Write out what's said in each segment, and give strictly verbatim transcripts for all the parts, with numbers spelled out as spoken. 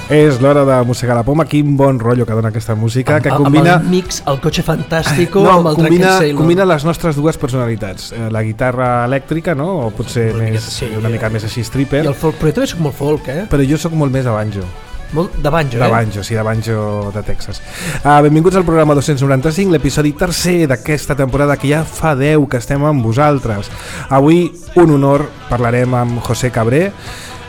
És l'hora de mossegar la poma. Quin bon rotllo que dona aquesta música, que combina... Amb el mix, el cotxe fantàstico, no, amb el combina, Drunken Sailor. Combina les nostres dues personalitats, la guitarra elèctrica, no? O potser una, més, sí, una mica més així stripper. I el folk, però jo també soc molt folk, eh? Però jo sóc molt més de banjo. Molt de banjo, eh? De banjo, sí, de banjo de Texas. Uh, benvinguts al programa dos-cents noranta-cinc, l'episodi tercer d'aquesta temporada, que ja fa deu que estem amb vosaltres. Avui, un honor, parlarem amb José Cabré.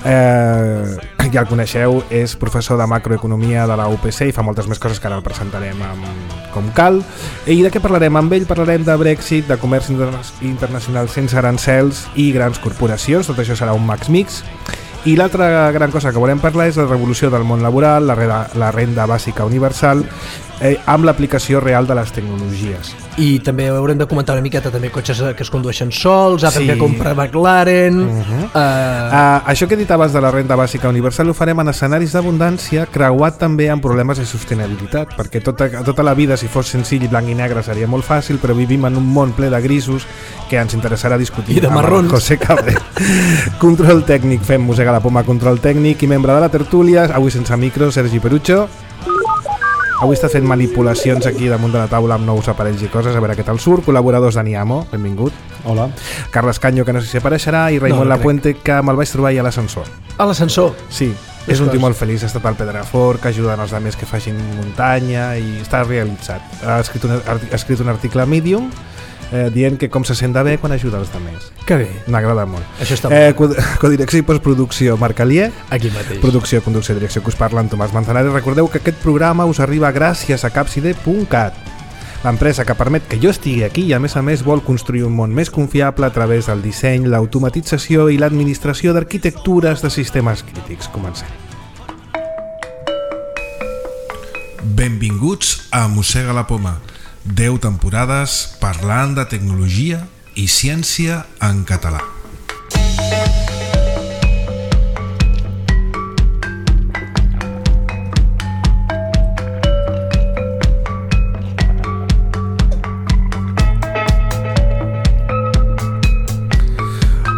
Eh, ja el coneixeu, és professor de macroeconomia de la U P C i fa moltes més coses que ara el presentarem amb, com cal. I de què parlarem amb ell? Parlarem de Brexit, de comerç interna- internacional sense arancels i grans corporacions. Tot això serà un Max Mix. I l'altra gran cosa que volem parlar és la revolució del món laboral, la renda, la renda bàsica universal, eh, amb l'aplicació real de les tecnologies. I també haurem de comentar una miqueta també cotxes que es condueixen sols, Apple sí. que compra McLaren... Uh-huh. uh... Uh, això que he dit abans de la renda bàsica universal ho farem en escenaris d'abundància, creuat també amb problemes de sostenibilitat, perquè tota, tota la vida, si fos senzill i blanc i negre, seria molt fàcil, però vivim en un món ple de grisos que ens interessarà discutir amb José Cabré. Control tècnic, fem mossegar la poma, control tècnic, i membre de la tertúlia, avui sense micro, Sergi Perucho. Avui està fent manipulacions aquí damunt de la taula amb nous aparells i coses, a veure què tal surt. Col·laboradors d'Ani Amo, benvingut. Hola. Carles Canyo, que no sé si apareixerà, i Raimon no, no Lapuente, que me'l vaig trobar ahí a l'ascensor. A l'ascensor? Sí, és un tio molt feliç, ha estat al Pedrafort, que ajuda els altres que facin muntanya i està realitzat. Ha escrit un, ha escrit un article a Medium Eh, dient que com se sent de bé quan ajuda els altres. Que bé. M'agrada molt. Això està eh, molt. Codirecció i postproducció, Marc Alier. Aquí mateix. Producció, conducció i direcció, que us parla en Tomàs Manzanares. Recordeu que aquest programa us arriba gràcies a Capside punt cat, l'empresa que permet que jo estigui aquí i a més a més vol construir un món més confiable a través del disseny, l'automatització i l'administració d'arquitectures de sistemes crítics. Comencem. Benvinguts a Mossega la Poma. deu temporades parlant de tecnologia i ciència en català.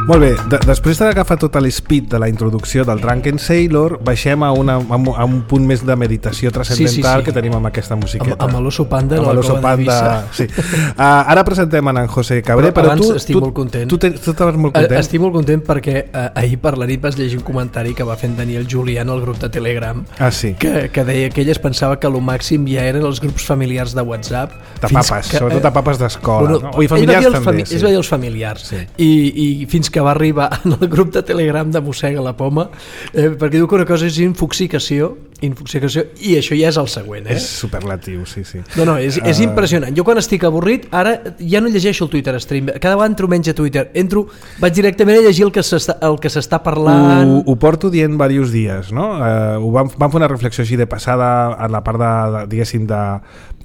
Molt bé, de després d'agafar tot l'speed de la introducció del Drunken Sailor, baixem a, una, a un punt més de meditació transcendental sí, sí, sí. que tenim amb aquesta musiqueta. Amb, amb l'osso panda, amb l'osso panda, sí. uh, Ara presentem en José Cabré, però, però tu, estic tu, molt content. Tu, tu, tu estaves molt content? Estic molt content perquè uh, ahir per la nit vas llegir un comentari que va fer en Daniel Julián al grup de Telegram, ah, sí. que, que deia que ell es pensava que el màxim ja eren els grups familiars de WhatsApp. De papes, que, sobretot de papes d'escola. Bueno, no? O i familiars també. Fami sí. Es va dir els familiars. Sí. I, I fins que va arribar el grup de Telegram de Mossega la Poma, eh, perquè diu que una cosa és infoxicació, infoxicació i això ja és el següent. Eh? És superlatiu, sí, sí. No, no, és, és uh... impressionant. Jo quan estic avorrit, ara ja no llegeixo el Twitter Stream, cada vegada entro menys a Twitter, entro, vaig directament a llegir el que s'està, el que s'està parlant. Ho, ho porto dient diversos dies, no? Uh, ho vam, vam fer una reflexió així de passada en la part de, de diguéssim, de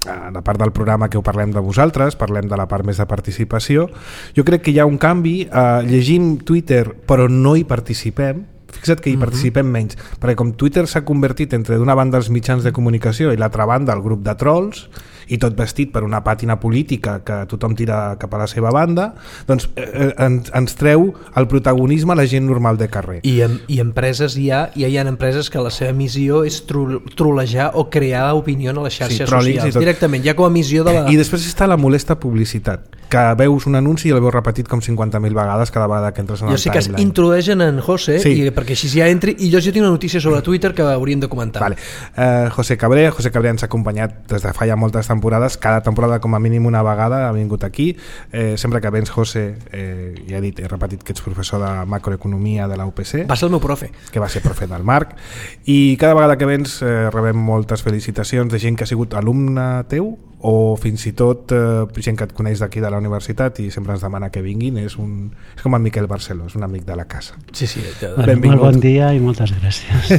a la part del programa que ho parlem de vosaltres, parlem de la part més de participació. Jo crec que hi ha un canvi, eh, llegim Twitter però no hi participem, fixa't que hi participem menys, perquè com Twitter s'ha convertit entre d'una banda els mitjans de comunicació i l'altra banda el grup de trolls, i tot vestit per una pàtina política que tothom tira cap a la seva banda, doncs eh, ens, ens treu el protagonisme a la gent normal de carrer. I, en, i empreses hi ha, ja hi ha empreses que la seva missió és tro, trolejar o crear opinió a les xarxes sí, socials, directament, ja com a missió de la... I després està la molesta publicitat, que veus un anunci i el veus repetit com cinquanta mil vegades cada vegada que entres en el timeline. Jo sé timeline. Que es introdueixen en José, sí. i perquè així ja entri, i jo ja tinc una notícia sobre Twitter que hauríem de comentar. Vale. Uh, José Cabré, José Cabré ens ha acompanyat des de fa ja moltes temporades, cada temporada com a mínim una vegada ha vingut aquí, eh, sempre que vens José, eh, ja he dit, he repetit que ets professor de macroeconomia de la U P C, va ser el meu profe que va ser profe del Marc, i cada vegada que vens eh, rebem moltes felicitacions de gent que ha sigut alumne teu o fins i tot eh, gent que et coneix d'aquí de la universitat i sempre ens demana que vinguin. És, un, és com en Miquel Barceló, és un amic de la casa. Sí, sí. Bueno, molt bon dia i moltes gràcies.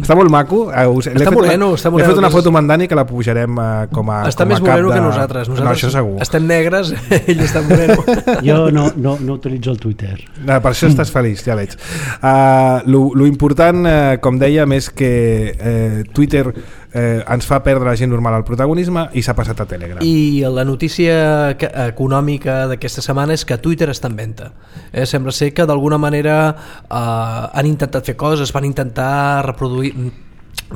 Està molt maco. Uh, us, està moreno. Està moreno. He fet una foto amb en Dani que la pujarem uh, com a està com a més moreno de... que nosaltres. nosaltres. No, això segur. Estem negres, ell està moreno. Jo no, no, no utilitzo el Twitter. Uh, per això estàs feliç, ja veig. Uh, lo, lo important, uh, com dèiem, és que uh, Twitter eh, ens fa perdre la gent normal el protagonisme i s'ha passat a Telegram. I la notícia econòmica d'aquesta setmana és que Twitter està en venda. Eh, sembla ser que d'alguna manera eh, han intentat fer coses, van intentar reproduir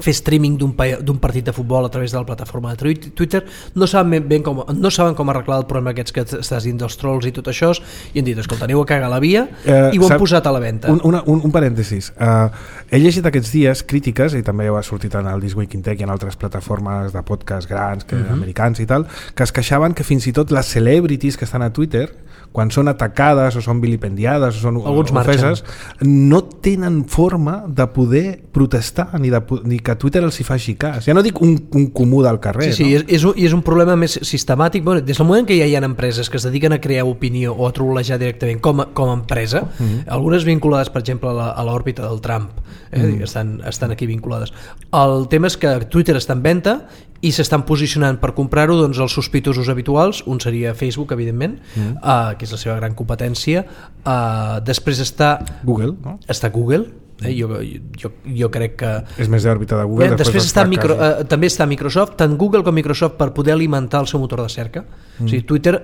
fer streaming d'un, d'un partit de futbol a través de la plataforma de Twitter, no saben ben com, no saben com arreglar el problema aquests que estàs dient dels trolls i tot això, i han dit, escolta, aneu a cagar la via, uh, i ho han posat a la venda. Un, una, un, un parèntesis. Uh, he llegit aquests dies crítiques, i també ho ha sortit en el This Week in Tech i en altres plataformes de podcast grans, que, uh-huh. americans i tal, que es queixaven que fins i tot les celebrities que estan a Twitter, quan són atacades o són vilipendiades o són alguns ofeses, no tenen forma de poder protestar ni, de, ni que Twitter els hi faci cas. Ja no dic un, un comú del carrer. Sí, sí, no? és, és, un, és un problema més sistemàtic. Bueno, des del moment que ja hi ha empreses que es dediquen a crear opinió o a trollejar directament com a, com a empresa, mm-hmm. algunes vinculades, per exemple, a l'òrbita del Trump, eh? mm. estan, estan aquí vinculades. El tema és que Twitter està en venda i s'estan posicionant per comprar-ho doncs, els sospitosos habituals. Un seria Facebook, evidentment, mm. uh, que és la seva gran competència. Uh, després està Google, no? Està Google. Eh? Jo, jo, jo crec que és més d'òrbita de Google. Eh, després després està micro, uh, també està Microsoft, tant Google com Microsoft, per poder alimentar el seu motor de cerca. Mm. O sigui, Twitter,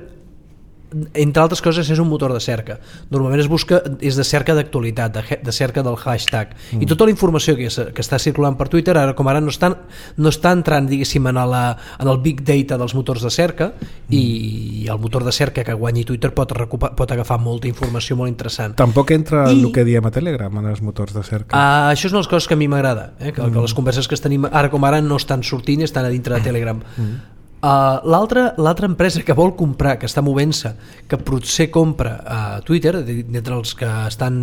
entre altres coses, és un motor de cerca. Normalment es busca, és de cerca d'actualitat, de, de cerca del hashtag, mm. i tota la informació que, que està circulant per Twitter ara com ara no està, no està entrant, diguéssim, en, la, en el big data dels motors de cerca, mm. i el motor de cerca que guanyi Twitter pot, recuper, pot agafar molta informació molt interessant. Tampoc entra I, el que diem a Telegram en els motors de cerca. Uh, això és una de les coses que a mi m'agrada, eh? que, mm. que les converses que tenim ara com ara no estan sortint i estan a dintre de Telegram. Mm. Uh, l'altra, l'altra empresa que vol comprar, que està movent-se, que potser compra a uh, Twitter, d'entre els que estan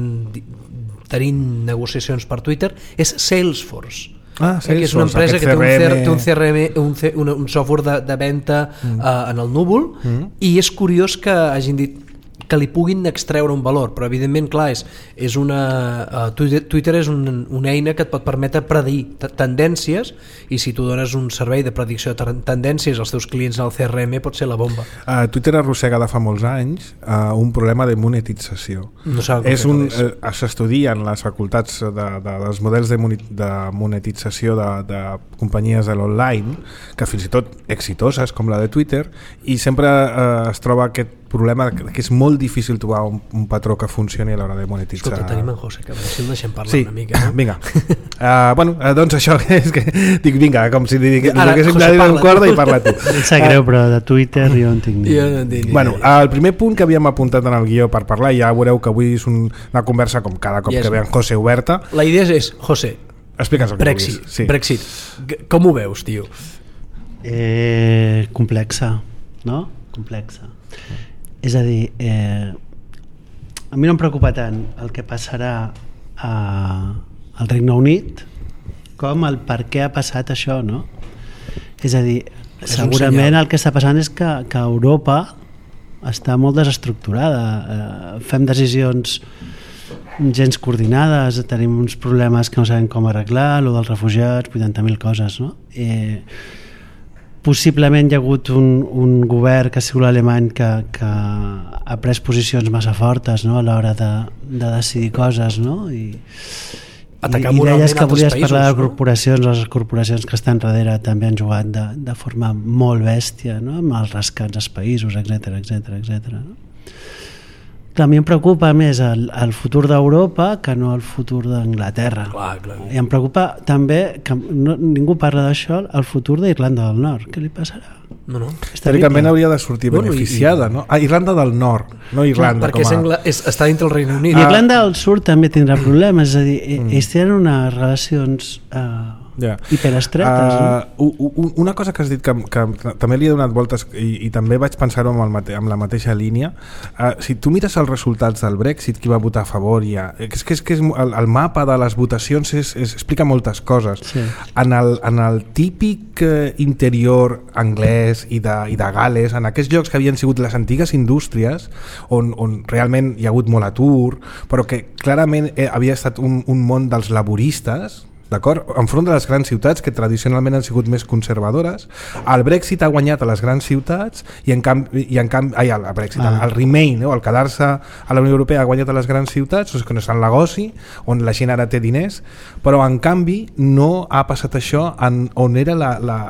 tenint negociacions per Twitter, és Salesforce. Ah, Salesforce, que és una empresa que té un, té un C R M, un, C, un, un software de, de venda mm. uh, en el núvol, mm. i és curiós que hagin dit que li puguin extreure un valor, però evidentment, clar, és, és una, uh, Twitter, Twitter és un, una eina que et pot permetre predir tendències, i si tu dones un servei de predicció de tendències als teus clients al C R M pot ser la bomba. Uh, Twitter arrossega de fa molts anys uh, un problema de monetització. No és un, uh, s'estudia en les facultats de, de, dels models de, de monetització de, de companyies de l'online, que fins i tot exitoses com la de Twitter, i sempre uh, es troba aquest problema que és molt difícil trobar un, un patró que funcioni a l'hora de monetitzar. Escolta, tenim en José Cabrera, si el deixem parlar sí, una mica. No? Vinga. Uh, bueno, uh, doncs això és que dic, vinga, com si diguéssim José, de un corda i parla tu. Em sap greu, però de Twitter jo en tinc ni. Jo no en tinc bueno, el primer punt que havíem apuntat en el guió per parlar, ja veureu que avui és un, una conversa com cada cop yes. que ve en José oberta. La idea és, José, explica'ns el que Brexit, vulguis. Sí. Brexit, com ho veus, tio? Eh, complexa, no? Complexa. És a dir, eh, a mi no em preocupa tant el que passarà a, al Regne Unit com el per què ha passat això, no? És a dir, és segurament el que està passant és que, que Europa està molt desestructurada, eh, fem decisions gens coordinades, tenim uns problemes que no sabem com arreglar, lo dels refugiats, vuitanta mil coses, no? Eh, possiblement hi ha hagut un, un govern que ha sigut l'alemany que, que ha pres posicions massa fortes, no? A l'hora de, de decidir coses, no? I, Atacar i, i deies que volies països, parlar de no? corporacions, les corporacions que estan darrere també han jugat de, de forma molt bèstia, no? Amb els rescats als països, etcètera, etcètera, etcètera, no? Clar, a mi em preocupa més el, el futur d'Europa que no el futur d'Anglaterra. Clar, clar. I em preocupa també, que no, ningú parla d'això, el futur d'Irlanda del Nord. Què li passarà? No, no. Teòricament hauria de sortir bueno, beneficiada, i, no? Ah, Irlanda del Nord, no Irlanda. Perquè com a... és Angla... és, està dintre el Regne Unit. I Irlanda del Sud també tindrà problemes, és a dir, mm. ells tenen unes relacions uh, yeah. hiperestretes. Uh, no? Una cosa que has dit que, que també li he donat voltes i, i també vaig pensar-ho amb, el mate, amb la mateixa línia, uh, si tu mires els resultats del Brexit, qui va votar a favor, ja, és que, és, que és, el, el mapa de les votacions és, és, explica moltes coses. Sí. En, el, en el típic uh, interior anglès i de, i de Gales, en aquests llocs que havien sigut les antigues indústries on, on realment hi ha hagut molt atur, però que clarament eh, havia estat un, un món dels laboristes, d'acord? Enfront de les grans ciutats que tradicionalment han sigut més conservadores. El Brexit ha guanyat a les grans ciutats i en canvi, i en canvi ai, el Brexit, ah. el, el Remain, no? El quedar-se a la Unió Europea ha guanyat a les grans ciutats, que no és el negoci, on la gent ara té diners, però en canvi no ha passat això en, on era la, la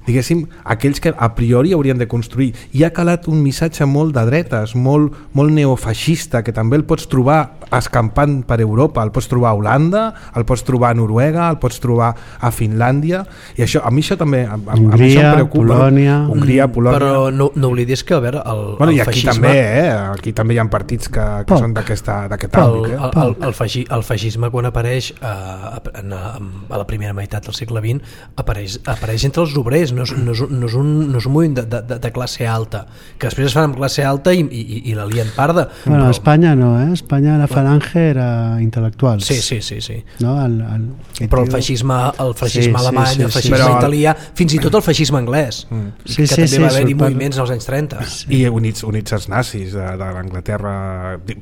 diguéssim, aquells que a priori haurien de construir. I ha calat un missatge molt de dretes, molt, molt neofeixista, que també el pots trobar escampant per Europa, el pots trobar a Holanda, el pots trobar a Noruega, el pots trobar a Finlàndia, i això, a mi això també a, a, Hongria, a mi això em preocupa. Polònia... Hongria, Polònia... Però no, no oblidis que, a veure, el, bueno, el i aquí feixisme... també, eh? Aquí també hi ha partits que, que Poc. són d'aquest àmbit. El, Eh? el, el, el, feixi, el feixisme, quan apareix a, a, a, a la primera meitat del segle vint, apareix, apareix entre els obrers, no és, no és, no és, un, no és un moviment de, de, de classe alta, que després es fan amb classe alta i, i, i la lien parda. Bueno, però... a Espanya no, eh? A Espanya la falange era intel·lectuals. Sí, sí, sí, sí. No? El, el, Però el feixisme, el feixisme Sí, sí, alemany, sí, el sí. feixisme Però el- italià, fins i tot el feixisme anglès, Mm. Sí, que sí, també sí, va haver-hi surt per- moviments als anys trenta. I units, units els nazis de, de l'Anglaterra,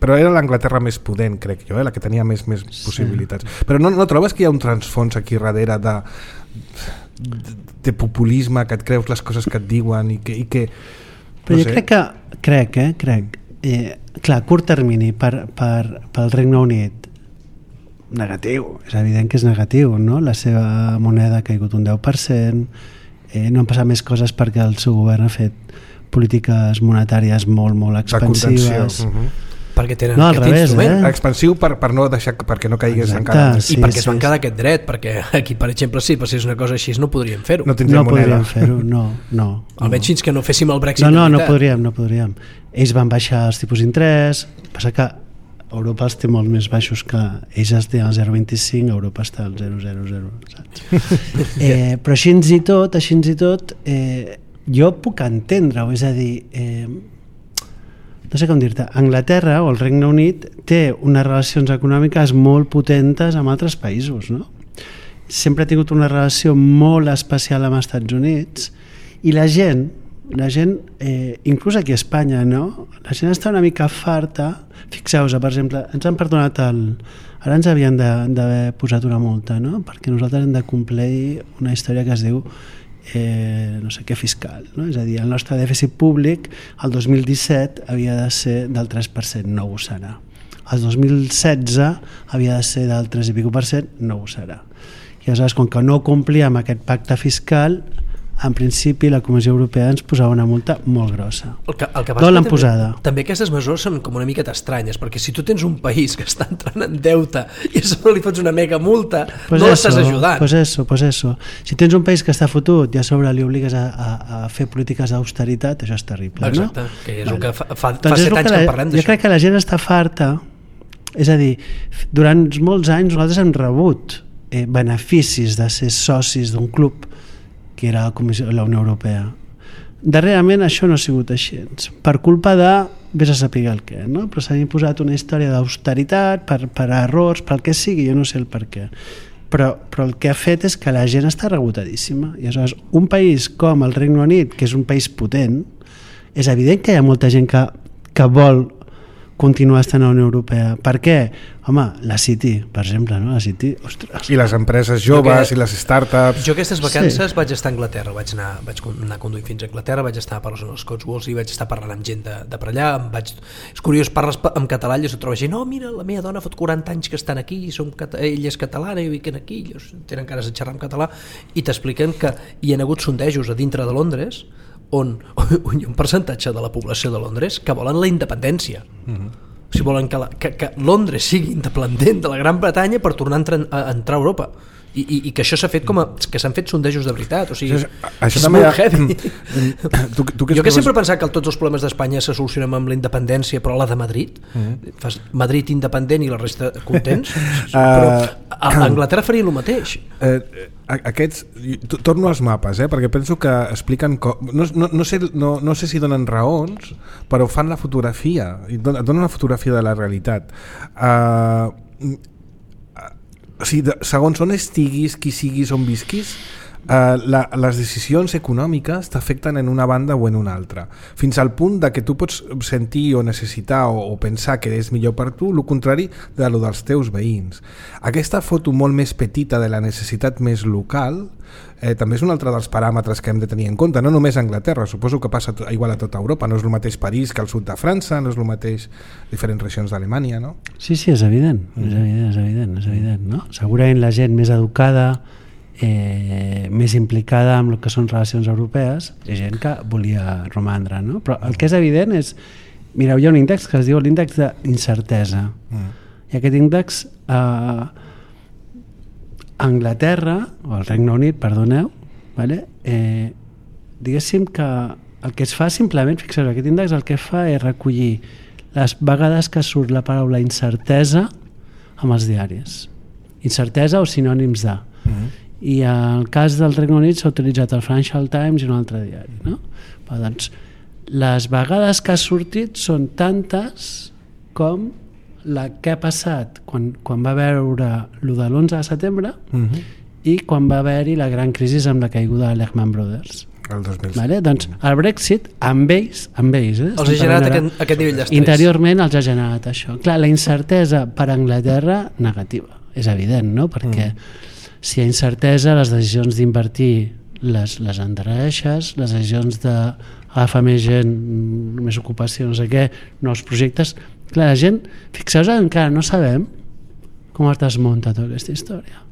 però era l'Anglaterra més pudent, crec jo, eh? La que tenia més, més possibilitats. Però no, no trobes que hi ha un transfons aquí darrere de, de, de populisme, que et creus les coses que et diuen i que... I que Però no jo sé. crec que, crec, eh, crec, eh, clar, a curt termini per, per, pel Regne Unit, negatiu, és evident que és negatiu, no? La seva moneda ha caigut un deu per cent, eh, no han passat més coses perquè el seu govern ha fet polítiques monetàries molt, molt de contenció. expansives. Uh-huh. Perquè tenen No, al aquest revés, instrument. eh? Expansiu per, per no deixar perquè no caigués Exacte, encara més. sí. I perquè es van sí. quedar aquest dret, perquè aquí, per exemple, si passés una cosa així no podríem fer-ho. No No tindríem moneda. podríem fer-ho, no, no. Almenys fins que no féssim el Brexit. No, no, de no veritat. podríem, no podríem. Ells van baixar els tipus d'interès, passa que Europa els té molt més baixos que ells els té al zero coma vint-i-cinc, Europa està al zero coma zero zero, saps? eh, però així i tot, així i tot, eh, jo puc entendre-ho, és a dir, eh, no sé com dir-te, Anglaterra o el Regne Unit té unes relacions econòmiques molt potentes amb altres països, no? Sempre ha tingut una relació molt especial amb els Estats Units i la gent, la gent, eh, inclús aquí a Espanya, no? La gent està una mica farta. Fixeu-vos, per exemple, ens han perdonat el... Ara ens havien de- d'haver posat una multa, no? Perquè nosaltres hem de complir una història que es diu eh, no sé què fiscal, no? És a dir, el nostre dèficit públic el dos mil disset havia de ser del tres per cent, no ho serà. El dos mil setze havia de ser del tres i pico per cent, no ho serà. I aleshores, com que no complíem aquest pacte fiscal, en principi la Comissió Europea ens posava una multa molt grossa. El que, el que D'on passa l'han que posada? també, també aquestes mesures són com una miqueta estranyes, perquè si tu tens un país que està entrant en deute i a sobre li fots una mega multa, Pues no eso, l'estàs ajudant. Pues eso, pues eso. Si tens un país que està fotut i a sobre li obligues a, a, a fer polítiques d'austeritat, això és terrible, Exacte, no? que és el que fa, fa, Doncs fa és set el anys la, que en parlem jo d'això. crec que la gent està farta, és a dir, durant molts anys nosaltres hem rebut eh, beneficis de ser socis d'un club que era la, Comissió, la Unió Europea. Darrerament això no ha sigut així, per culpa de vés a saber el què, no? Però s'ha imposat una història d'austeritat per, per errors, pel que sigui, jo no sé el per què, però, però el que ha fet és que la gent està rebotadíssima i aleshores un país com el Regne Unit, que és un país potent, és evident que hi ha molta gent que, que vol continuar estant a la Unió Europea. Per què? Home, la City, per exemple, no? La City, ostres. I les empreses joves que- i les startups. Jo aquestes vacances Sí. sí. vaig estar a Anglaterra, vaig anar, vaig anar conduint fins a Anglaterra, vaig estar per les zones Cotswolds i vaig estar parlant amb gent de, de per allà. Em vaig... És curiós, parles pa- en català i es troba gent, no, mira, la meva dona fot quaranta anys que estan aquí, i som cata... ella és catalana i viuen aquí, ells tenen ganes de xerrar en català, i t'expliquen que hi ha hagut sondejos a dintre de Londres on, on hi ha un percentatge de la població de Londres que volen la independència. Mm-hmm. O sigui, volen que, la, que, que Londres sigui independent de la Gran Bretanya per tornar a entrar, a, a entrar a Europa. I, i, i que això s'ha fet com a, que s'han fet sondejos de veritat, o sigui, Això, això és també molt ha- heavy. tu, tu que Jo que ets sempre he pensat que tots els problemes d'Espanya se solucionen amb la independència, però la de Madrid, mm. fas Madrid independent i la resta contents, però a, a Anglaterra faria el mateix. Eh, a- aquests, t- torno als mapes, eh, perquè penso que expliquen co- no, no, no, sé, no, no sé si donen raons, però fan la fotografia i don- donen una fotografia de la realitat. Uh, o sigui, de, segons on estiguis, qui siguis, on visquis, Uh, la, les decisions econòmiques t'afecten en una banda o en una altra, fins al punt de que tu pots sentir o necessitar o, o pensar que és millor per tu el contrari de lo dels teus veïns. Aquesta foto molt més petita de la necessitat més local eh, també és un altre dels paràmetres que hem de tenir en compte, no només a Anglaterra, suposo que passa to, igual a tota Europa, no és el mateix París que el sud de França, no és el mateix diferents regions d'Alemanya, no? Sí, sí, és evident, mm. és evident, és evident, és evident, no? Segurament la gent més educada eh, més implicada amb el que són relacions europees i gent que volia romandre, no? Però el que és evident és, mireu, hi ha un índex que es diu l'índex d'incertesa mm. i aquest índex a Anglaterra o al Regne Unit, perdoneu, vale? eh, diguéssim que el que es fa simplement, fixeu, aquest índex el que fa és recollir les vegades que surt la paraula incertesa amb els diaris, incertesa o sinònims de mm. i en el cas del Regne Unit s'ha utilitzat el Financial Times i un altre diari, no? Però, doncs, les vegades que ha sortit són tantes com la que ha passat quan, quan va veure lo de l'onze de setembre uh-huh. i quan va haver-hi la gran crisi amb la caiguda de Lehman Brothers. El dos mil set. Vale? Doncs el Brexit amb ells, amb ells eh? els ha generat aquest, aquest nivell d'estrès. Interiorment els ha generat això. Clar, la incertesa per Anglaterra negativa, és evident, no? Perquè mm. si hi ha incertesa, les decisions d'invertir les, les endarrereixes, les decisions d'agafar més gent, més ocupació, no sé què, nous projectes. Clar, la gent, fixeu-vos, encara no sabem com es desmunta tota aquesta història.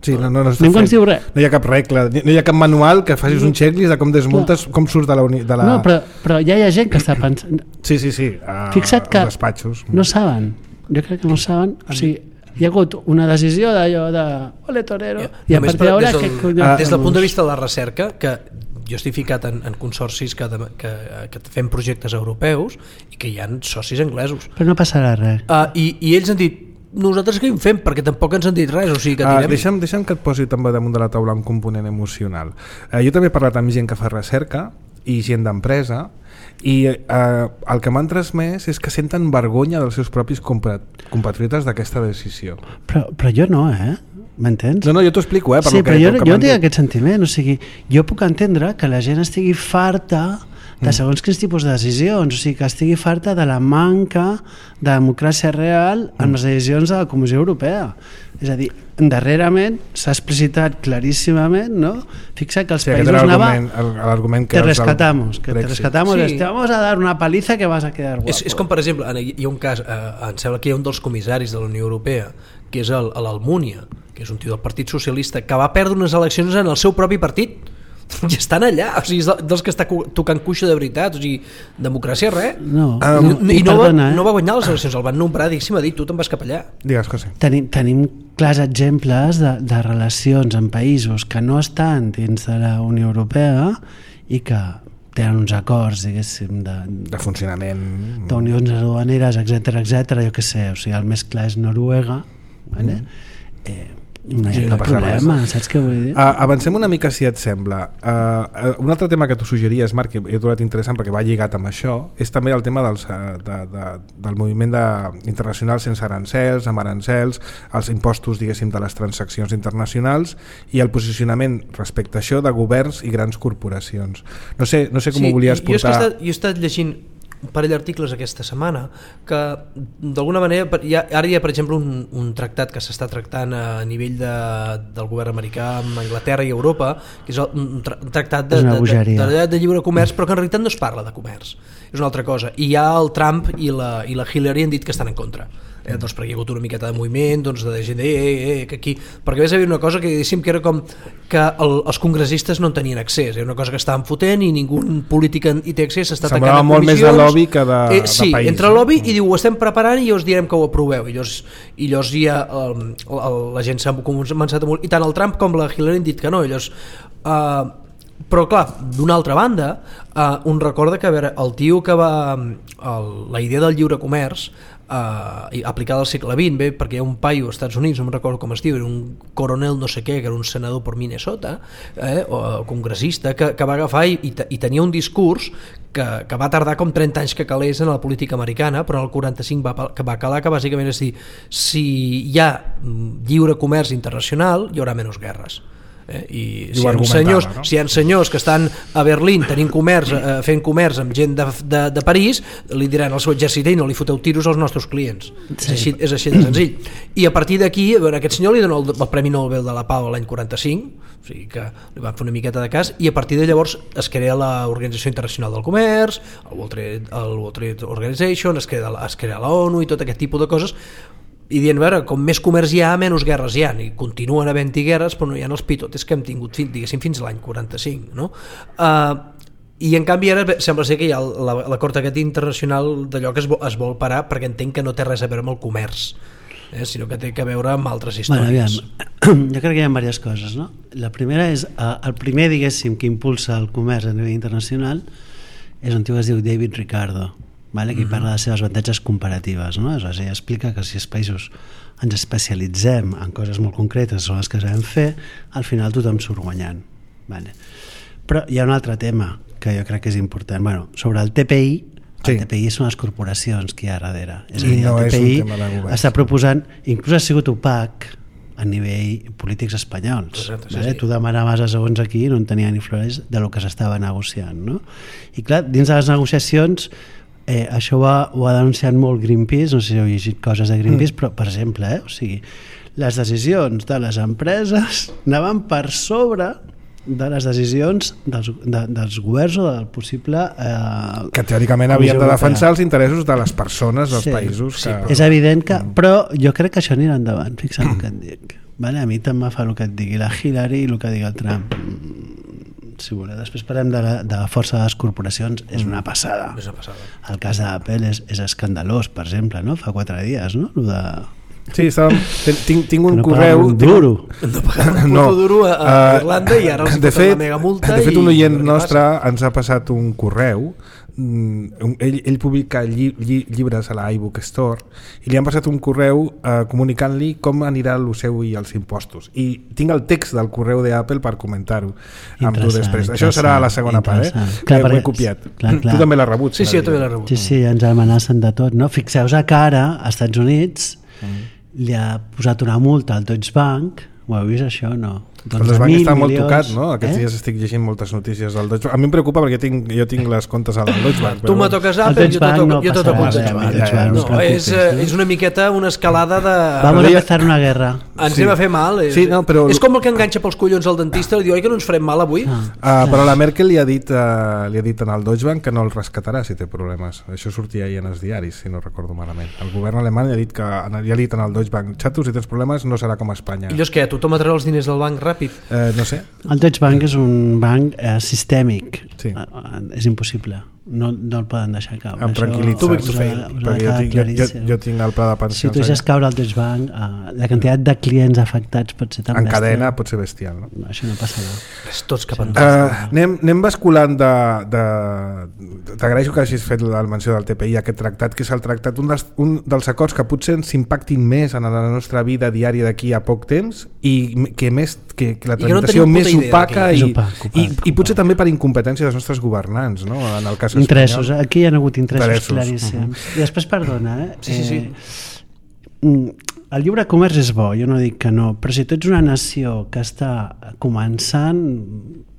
Sí, no, no, no, Ningú ens diu res. No hi ha cap regla, no hi ha cap manual que facis un checklist de com desmuntes, no. com surts de la... Uni, de la... No, però, però ja hi ha gent que està pensant... Sí, sí, sí, a, fixa't que despatxos. No saben, jo crec que no saben, o sigui, hi ha hagut una decisió d'allò de ole torero, ja, i a partir d'ara... Des, del, que... des del punt de vista de la recerca, que jo estic ficat en, en consorcis que, que, que fem projectes europeus i que hi ha socis anglesos. Però no passarà res. Uh, i, I ells han dit, nosaltres què en fem? Perquè tampoc ens han dit res, o sigui que tirem... Uh, deixa'm, deixa'm que et posi també damunt de la taula un component emocional. Uh, jo també he parlat amb gent que fa recerca i gent d'empresa i uh, el que m'han transmès és que senten vergonya dels seus propis compatriotes d'aquesta decisió. Però, però jo no, eh? M'entens? No, no, jo t'ho explico, eh? Per sí, lo que, però jo, que jo tinc aquest sentiment, o sigui, jo puc entendre que la gent estigui farta de segons quins tipus de decisions, o sigui, que estigui farta de la manca de democràcia real en les decisions de la Comissió Europea. És a dir, darrerament s'ha explicitat claríssimament, no? Fixa que els sí, països anava te rescatamos, que te rescatamos, sí. te vamos a dar una paliza que vas a quedar guapo. És, és com, per exemple, hi ha un cas, eh, em sembla que hi ha un dels comissaris de la Unió Europea, que és l'Almúnia, que és un tio del Partit Socialista, que va perdre unes eleccions en el seu propi partit. I estan allà, o sigui, és dels que està tocant cuixa de veritat, o sigui, democràcia res. No, um, no, i no, perdona, va, no va guanyar les eleccions, el van nombrar, diguéssim, a dir, tu te'n vas cap allà. Digues, José. Tenim, tenim clars exemples de, de relacions en països que no estan dins de la Unió Europea i que tenen uns acords, diguéssim, de, de funcionament, d'unions aduaneres, etcètera, etcètera, jo què sé, o sigui, el més clar és Noruega, vale? mm. eh, no hi ha cap problema, saps què vull dir? Uh, avancem una mica, si et sembla. Uh, un altre tema que tu suggeries, Marc, que he trobat interessant perquè va lligat amb això, és també el tema dels, de, de, del moviment de, internacional sense arancels, amb arancels, els impostos, diguéssim, de les transaccions internacionals i el posicionament respecte a això de governs i grans corporacions. No sé, no sé com sí, ho volies portar... Jo he estat, jo he estat llegint un parell d'articles aquesta setmana que d'alguna manera hi ha, ara hi ha per exemple un, un tractat que s'està tractant a nivell de, del govern americà amb Anglaterra i Europa, que és un, tra un tractat de, de, de, de, de lliure comerç, però que en realitat no es parla de comerç, és una altra cosa, i ja el Trump i la, i la Hillary han dit que estan en contra. Eh, doncs perquè hi ha hagut una miqueta de moviment, doncs de gent de, eh, eh, que aquí, perquè ves a dir una cosa que diguéssim que era com que el, els congressistes no en tenien accés, era una cosa que estaven fotent i ningú polític hi té accés, s'està tancant en molt comissions. Més de lobby que de, eh, sí, de país. Entra el lobby i diu ho estem preparant i us direm que ho aproveu i llavors, i llavors ja el, el, la gent s'ha començat a molt, i tant el Trump com la Hillary han dit que no, i llavors uh, però clar, d'una altra banda uh, un recorda que a veure, el tio que va el, la idea del lliure comerç Uh, aplicada al segle vint, bé, perquè hi ha un paio als Estats Units, no me'n recordo com es diu, era un coronel no sé què, que era un senador per Minnesota, eh, o congressista, que, que va agafar i, i, i tenia un discurs que, que va tardar com trenta anys que calés en la política americana, però en el quaranta-cinc va, que va calar, que bàsicament és dir, si hi ha lliure comerç internacional, hi haurà menys guerres. Eh, i si hi, ha senyors, no? si hi ha senyors que estan a Berlín tenint comerç, eh, fent comerç amb gent de, de, de París, li diran al seu exèrcit i no li foteu tiros als nostres clients. Sí. És, així, és així de senzill. I a partir d'aquí, a aquest senyor li dona el, el Premi Nobel de la Pau l'any quaranta-cinc, o sigui que li van fer una miqueta de cas, i a partir de llavors es crea l'Organització Internacional del Comerç, el World Trade, el World Trade Organization, es crea, es crea la ONU i tot aquest tipus de coses, i dient, a veure, com més comerç hi ha, menys guerres hi ha, i continuen havent-hi guerres, però no hi ha els pitotes que hem tingut, diguéssim, fins l'any quaranta-cinc, no? Uh, i en canvi ara sembla ser que hi ha l'acord aquest internacional d'allò que es vol, es vol parar, perquè entenc que no té res a veure amb el comerç, eh, sinó que té a veure amb altres històries. Bueno, jo crec que hi ha diverses coses, no? La primera és, eh, el primer, diguéssim, que impulsa el comerç a nivell internacional és un tio que es diu David Ricardo, vale? Que uh-huh. parla de les seves avantatges comparatives, no? És a dir, explica que si els països ens especialitzem en coses molt concretes, són les que sabem fer, al final tothom surt guanyant, vale? Però hi ha un altre tema que jo crec que és important. Bueno, sobre el T P I, el sí. T P I són les corporacions que hi ha darrere. És a dir, no el T P I és està proposant, inclús ha sigut opac a nivell polítics espanyols. Exacte, sí, vale? sí. Tu demanaves a segons aquí no en tenia ni flores de lo que s'estava negociant, no? I clar, dins de les negociacions eh, això ho ha, ho ha denunciat molt Greenpeace, no sé si heu llegit coses de Greenpeace, mm. però per exemple, eh, o sigui, les decisions de les empreses anaven per sobre de les decisions dels, de, dels governs o del possible eh, que teòricament havien de defensar els interessos de les persones dels sí, països que... sí, és evident que, però jo crec que això anirà endavant, fixa't el que et dic, vale? A mi també fa el que et digui la Hillary i el que digui el Trump. Si voleu, després parlem de la, de la força de les corporacions, és una passada, és una passada. El cas d'Apple és, és escandalós, per exemple, no? Fa quatre dies, no? Lo de... Sí, estàvem, tinc, tinc un no correu... Un duro. No pagaven un puto duro a, a Irlanda i ara els de fet, la mega multa. De fet, un i oient nostre ens ha passat un correu. Ell, ell publica lli, lli, llibres a la iBook Store i li han passat un correu eh, comunicant-li com anirà el seu i els impostos. I tinc el text del correu d'Apple per comentar-ho amb tu després. Això serà a la segona part, eh? Clar, ho he copiat. Clar, clar. Tu també l'has rebut. Sí, sí, jo també l'he rebut. Sí, sí, ens amenacen de tot, no? Fixeu-vos que ara, als Estats Units, mm. li ha posat una multa al Deutsche Bank. Ho heu vist això o no? El Deutsche Bank està molt milions, tocat, no? Aquests eh? dies estic llegint moltes notícies del Deutsche Bank. A mi em preocupa perquè tinc, jo tinc les comptes al Deutsche Bank. Tu me toques Apple, jo te toco, no jo te toco el Deutsche Bank. Bank. No, no, és, és una miqueta una escalada de... Vamos a empezar una guerra. Ens sí. anem a fer mal. És, sí, no, però... és com el que enganxa pels collons al dentista i diu, oi que no ens farem mal avui? Ah, uh, però la Merkel li ha dit uh, li ha dit en el Deutsche Bank que no el rescatarà si té problemes. Això sortia ahir en els diaris, si no recordo malament. El govern alemany li ha dit que li ha dit en el Deutsche Bank, xato, si tens problemes no serà com a Espanya. I llavors què? Tothom a treure els diners del banc ràpid? Uh, no sé. El Deutsche Bank és un banc eh, sistèmic. Sí. Eh, és impossible. No, no el poden deixar caure. Em tranquil·litza. Perquè jo tinc, jo, jo, jo tinc el pla de pensions. Si tu deixes caure el Deutsche Bank, eh, la quantitat de clients afectats pot ser tan en bèstia. cadena pot ser bestial, no? No, això no passarà. És tots cap endavant. Uh, anem, anem basculant de, de... T'agraeixo que hagis fet la menció del T P I, aquest tractat, que és el tractat, un dels, un dels acords que potser ens impactin més en la nostra vida diària d'aquí a poc temps i que, més, que, que la tramitació no més opaca i, opac, opac, i, i potser també per incompetència dels nostres governants, no? En el cas interessos, espanyol. Aquí hi ha hagut interessos, interessos. claríssims. Uh-huh. I després, perdona, eh? Sí, sí, sí. Eh, el lliure comerç és bo, jo no dic que no, però si tu ets una nació que està començant,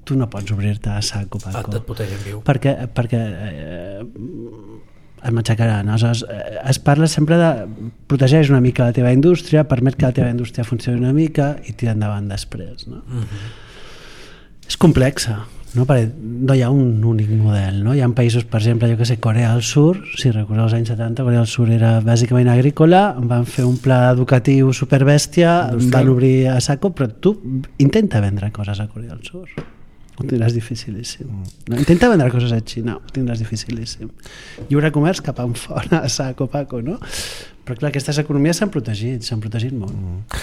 tu no pots obrir-te a sac o paco. Et putegen viu. Perquè, perquè eh, em matxacaran. Aleshores, eh, es parla sempre de protegeix una mica la teva indústria, permet que la teva indústria funcioni una mica i tira endavant després. No? Uh-huh. És complexa. No? Perquè no hi ha un únic model, no? Hi ha països, per exemple, jo que sé, Corea del Sur, si recordeu els anys setanta, Corea del Sur era bàsicament agrícola, van fer un pla educatiu superbèstia, van obrir a saco, però tu intenta vendre coses a Corea del Sur, ho tindràs dificilíssim. No? Intenta vendre coses a Xina, ho tindràs dificilíssim. Lliure comerç cap enfora, a saco, paco, no? Però clar, aquestes economies s'han protegit, s'han protegit molt. Mm.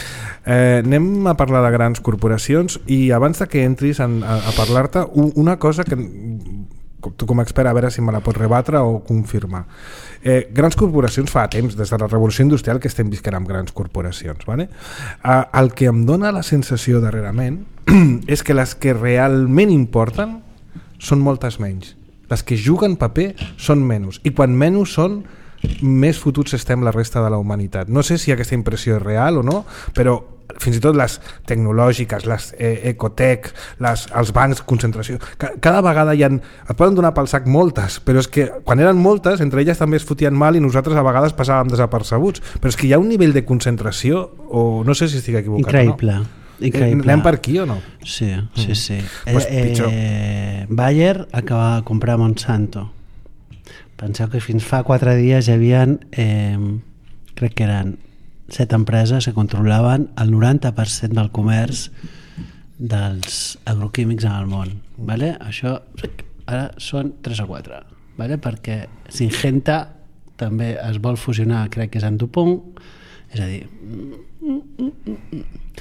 Eh, anem a parlar de grans corporacions i abans de que entris en, a, a parlar-te, una cosa que tu com a expert a veure si me la pots rebatre o confirmar. Eh, grans corporacions fa temps, des de la revolució industrial que estem visquent amb grans corporacions. Vale? Eh, el que em dona la sensació darrerament és que les que realment importen són moltes menys. Les que juguen paper són menys i quan menys són més fotuts estem la resta de la humanitat. No sé si aquesta impressió és real o no, però fins i tot les tecnològiques, les eh, ecotec, les, els bancs, concentració, ca, cada vegada hi ha, et poden donar pel sac moltes, però és que quan eren moltes, entre elles també es fotien mal i nosaltres a vegades passàvem desapercebuts, però és que hi ha un nivell de concentració, o no sé si estic equivocat increïble. o no. Increïble. Anem per aquí o no? Sí, sí, sí. Mm. Pues pitjor. Eh, Bayer acaba de comprar Monsanto. Penseu que fins fa quatre dies hi havia, eh, crec que eren set empreses que controlaven el noranta per cent del comerç dels agroquímics en el món. Vale? Això ara són tres o quatre, vale? Perquè Syngenta també es vol fusionar, crec que és amb DuPont, és a dir...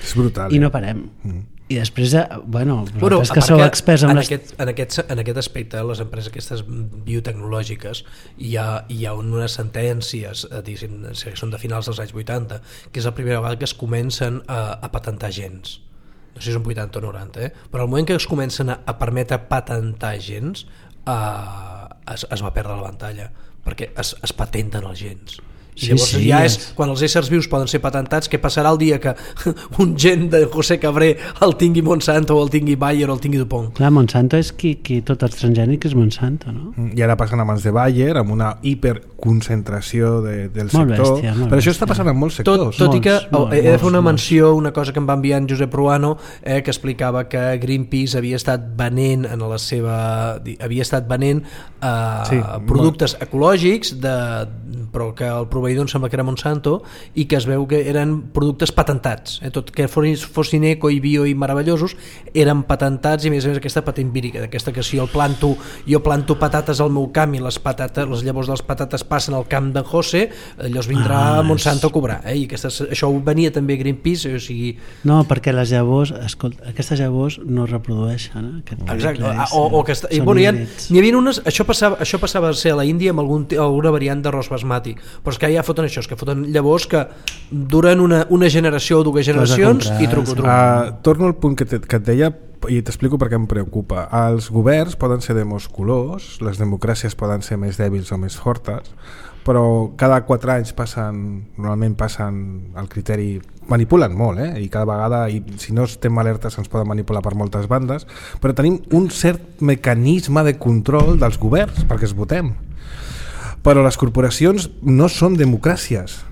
És brutal. I eh? no parem. Mm. I després, bueno, Bueno, vosaltres que sou experts en, en, les... aquest, en, aquest, en aquest aspecte, les empreses aquestes biotecnològiques, hi ha, hi ha unes sentències, eh, diguéssim, que són de finals dels anys vuitanta, que és la primera vegada que es comencen a, a patentar gens. No sé si són vuitanta o noranta, eh? Però al moment que es comencen a, a permetre patentar gens, eh, es, es va perdre la pantalla, perquè es, es patenten els gens. I Sí, llavors sí, ja és, és- quan els éssers vius poden ser patentats, què passarà el dia que un gen de José Cabré el tingui Monsanto o el tingui Bayer o el tingui DuPont? Clar, Monsanto és qui, qui tot els transgènics és Monsanto, no? I ara passen a mans de Bayer amb una hiperconcentració de, del Molt sector. bèstia, molt Però això bèstia. està passant en molts Tot, sectors. tot i que Molts, oh, molts, he de fer una molts, menció, una cosa que em va enviar en Josep Ruano, eh, que explicava que Greenpeace havia estat venent en la seva havia estat venent eh, Sí, productes ecològics de, però que el proveïdor em sembla que era Monsanto i que es veu que eren productes patentats, eh, tot que fossin, fossin eco i bio i meravellosos eren patentats, i a més a més aquesta patent vírica d'aquesta que si jo planto jo planto patates al meu camp i les patates, les llavors de les patates passen al camp d'en José, llavors vindrà Ah, Monsanto a cobrar, eh? I aquestes, això ho venia també Greenpeace, o sigui... No, perquè les llavors, escolta, aquestes llavors no es reprodueixen. Eh? Aquest Exacte, clar, o, o que està, i, són bueno, hi, ha, híbrids. n'hi havia unes, això passava, això passava a ser a la Índia amb algun, alguna variant d'arròs basmati, però és que ja foten això, és que foten llavors que duren una, una generació o dues generacions comprar, i truco, truco. Uh, torno al punt que, te, que et deia i t'explico per què em preocupa. Els governs poden ser de molts colors, les democràcies poden ser més dèbils o més fortes, però cada quatre anys passen, normalment passen el criteri, manipulen molt, eh? I cada vegada, i si no estem alertes ens poden manipular per moltes bandes, però tenim un cert mecanisme de control dels governs perquè es votem. Però les corporacions no són democràcies.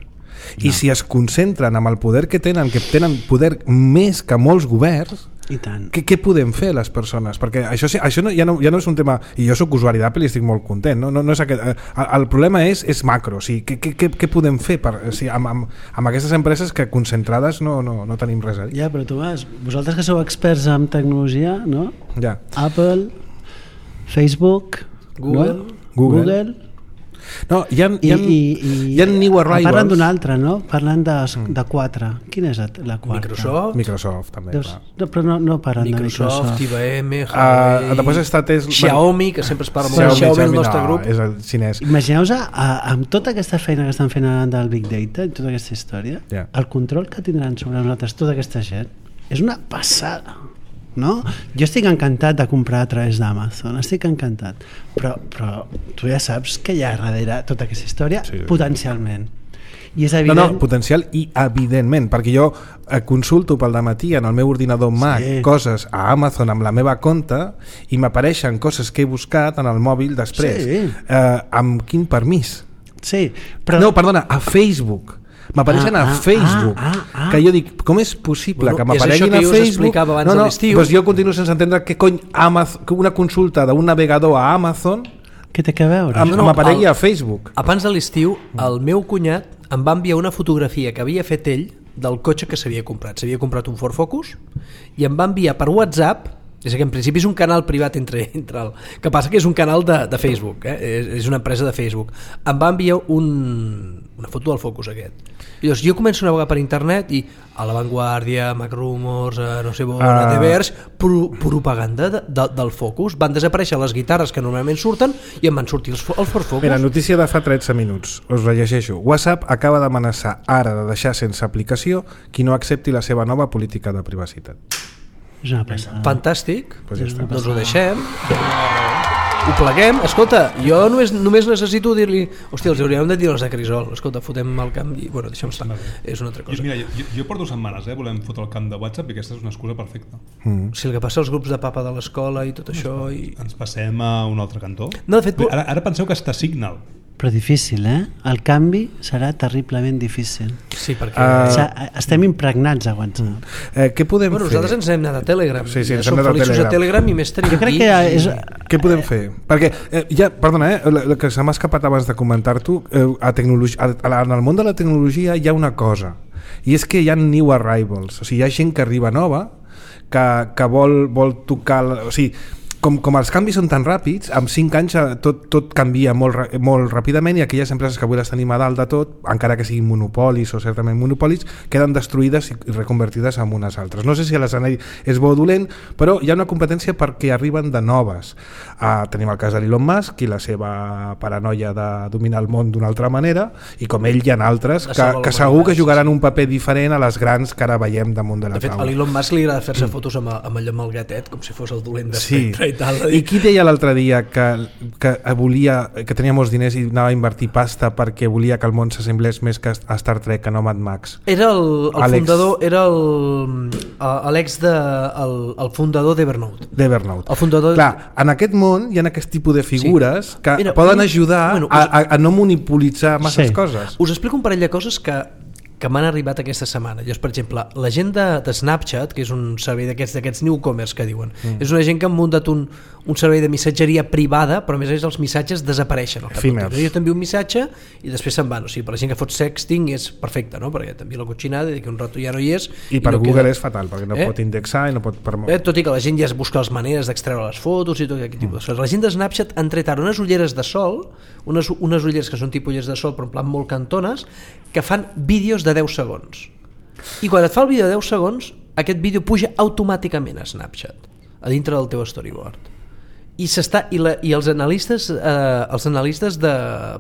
I si es concentren amb el poder que tenen, que tenen poder més que molts governs, I tant. què, què podem fer les persones? Perquè això, sí- això no, ja, no, ja no és un tema, i jo sóc usuari d'Apple i estic molt content, no, no, no és aquest, el, el problema és, és macro, o sigui, què, què, què, què podem fer per, o sigui, amb, amb, amb aquestes empreses que concentrades no, no, no tenim res a dir? Ja, però Tomàs, vosaltres que sou experts en tecnologia, no? Ja. Apple, Facebook, Google. no? Google. Google. No, hi ha, I, hi ha, i, i, hi ha new arrivals. Parlen d'un altre, no? Parlen de, de quatre. Quina és la quarta? Microsoft, Microsoft, també, Deus, clar. no, però no, no parlen Microsoft, de Microsoft. I B M, Uh, Huawei, després està Tesla, Xiaomi, que sempre es parla molt de Xiaomi, Xiaomi, el Xiaomi nostre no, grup. és el xinès. Imagineu-vos, a- amb tota aquesta feina que estan fent ara del Big Data i tota aquesta història, Ja. el control que tindran sobre nosaltres tota aquesta gent és una passada, no? Jo estic encantat de comprar a través d'Amazon, estic encantat, però, però tu ja saps que hi ha darrere tota aquesta història, Sí. potencialment. I és No, evident... no, potencial i evidentment, perquè jo eh, consulto pel dematí en el meu ordinador Mac Sí. coses a Amazon amb la meva compte i m'apareixen coses que he buscat en el mòbil després. Sí. Eh, amb quin permís? Sí, però... No, perdona, a Facebook. M'apareixen Ah, a ah, Facebook. ah, ah, ah. Que jo dic, com és possible Bueno, que és m'apareguin això que a jo us Facebook? explicava abans no, de no, l'estiu. doncs jo continuo sense entendre què cony Amazon, que una consulta d'un navegador a Amazon Què té a veure? am- no, m'aparegui el- a Facebook. Abans de l'estiu, el meu cunyat em va enviar una fotografia que havia fet ell del cotxe que s'havia comprat. S'havia comprat un Ford Focus i em va enviar per WhatsApp, és que en principi és un canal privat entre, entre el... que passa que és un canal de, de Facebook, eh? és, és una empresa de Facebook. Em va enviar un, una foto del Focus aquest. I llavors jo començo a navegar per internet i a La Vanguardia, Mac Rumors, a no sé on, Ah. a The Verge, pro, propaganda de, de, del Focus. Van desaparèixer les guitarres que normalment surten i em van sortir els, els Ford Focus. Mira, notícia de fa tretze minuts, us la llegeixo. WhatsApp acaba d'amenaçar ara de deixar sense aplicació qui no accepti la seva nova política de privacitat. És una passada. Fantàstic, Pues ja està. doncs ho deixem, ho pleguem. Escolta, jo només, només necessito dir-li, hòstia, els hauríem de dir els de Crisol, escolta, fotem el camp i, bueno, deixem estar, és una altra Jo, cosa. mira, jo, jo porto setmanes, eh, volem fotre el camp de WhatsApp i aquesta és una excusa perfecta. Mm. Si el que passa als grups de papa de l'escola i tot això i... Ens passem a un altre cantó. No, de fet, Bé, ara, ara penseu que està Signal. Però difícil, eh? El canvi serà terriblement difícil. sí, perquè... Ah. O sigui, estem impregnats a WhatsApp. Eh, què podem bueno, fer? nosaltres ens hem anat a Telegram. Sí, sí, ja ens hem som anat a feliços Telegram. a Telegram i més tenim Jo crec aquí. que és... Què podem fer? Perquè, eh, ja, perdona, eh, la, la que se m'ha escapat abans de comentar-t'ho, eh, a tecnologia, a, a, en el món de la tecnologia hi ha una cosa i és que hi ha new arrivals, o sigui, hi ha gent que arriba nova que, que vol, vol tocar, o sigui, Com, com els canvis són tan ràpids, amb cinc anys tot, tot canvia molt, molt ràpidament i aquelles empreses que avui les tenim a dalt de tot, encara que siguin monopolis o certament monopolis, queden destruïdes i reconvertides en unes altres. No sé si l'escenari és bo o dolent, però hi ha una competència perquè arriben de noves. Uh, tenim el cas de l'Elon Musk i la seva paranoia de dominar el món d'una altra manera, i com ell hi ha altres que, que segur que jugaran un paper diferent a les grans que ara veiem damunt de la taula. De fet, a l'Elon Musk li agrada fer-se fotos amb, amb allò amb el gatet, com si fos el dolent d'Espectre. Sí. I, tal, I qui deia l'altre dia que, que volia, que tenia molts diners i anava a invertir pasta perquè volia que el món s'assemblés més que a Star Trek, que no Mad Max? Era el, el fundador, era l'ex de el, el fundador d'Evernote. D'Evernote. El fundador. Clar, en aquest món hi ha aquest tipus de figures sí. que Mira, poden ajudar bueno, us, a, a no monopolitzar masses sí. coses. Us explico un parell de coses que que m'han arribat aquesta setmana. Llavors, per exemple, la gent de, de Snapchat, que és un servei d'aquests d'aquests newcomers que diuen, mm. és una gent que han muntat un, un servei de missatgeria privada, però a més a més els missatges desapareixen al cap d'un temps. Jo t'envio un missatge i després se'n van. O sigui, per la gent que fot sexting és perfecte, no? Perquè t'envia la cotxinada i que un rato ja no hi és. I, i per no Google queda... és fatal, perquè no eh? pot indexar i no pot... Eh? Tot i que la gent ja es busca les maneres d'extreure les fotos i tot aquest tipus de coses. La gent de Snapchat han tret ara unes ulleres de sol, unes, unes ulleres que són tipus ulleres de sol, però en plan molt cantones, que fan vídeos de deu segons. I quan et fa el vídeo de deu segons, aquest vídeo puja automàticament a Snapchat, a dintre del teu storyboard. I, s'està, i, la, i els analistes eh, els analistes de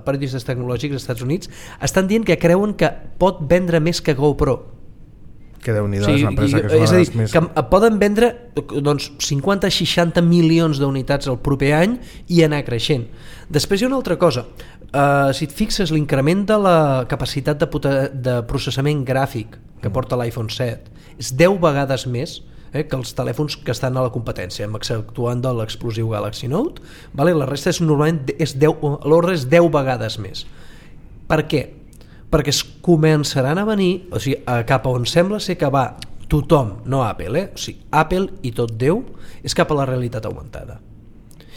periodistes tecnològics dels Estats Units estan dient que creuen que pot vendre més que GoPro. Que Déu-n'hi-do, sí, és una empresa que és, és una a dir, més... que poden vendre doncs, cinquanta a seixanta milions d'unitats el proper any i anar creixent. Després hi ha una altra cosa. Uh, si et fixes, l'increment de la capacitat de, de processament gràfic que porta l'iPhone set és deu vegades més eh, que els telèfons que estan a la competència, exceptuant de l'explosiu Galaxy Note, vale? La resta és normalment és deu, l'ordre és deu vegades més. Per què? Perquè es començaran a venir, o sigui, cap a on sembla ser que va tothom, no Apple, eh? O sigui, Apple i tot Déu, és cap a la realitat augmentada.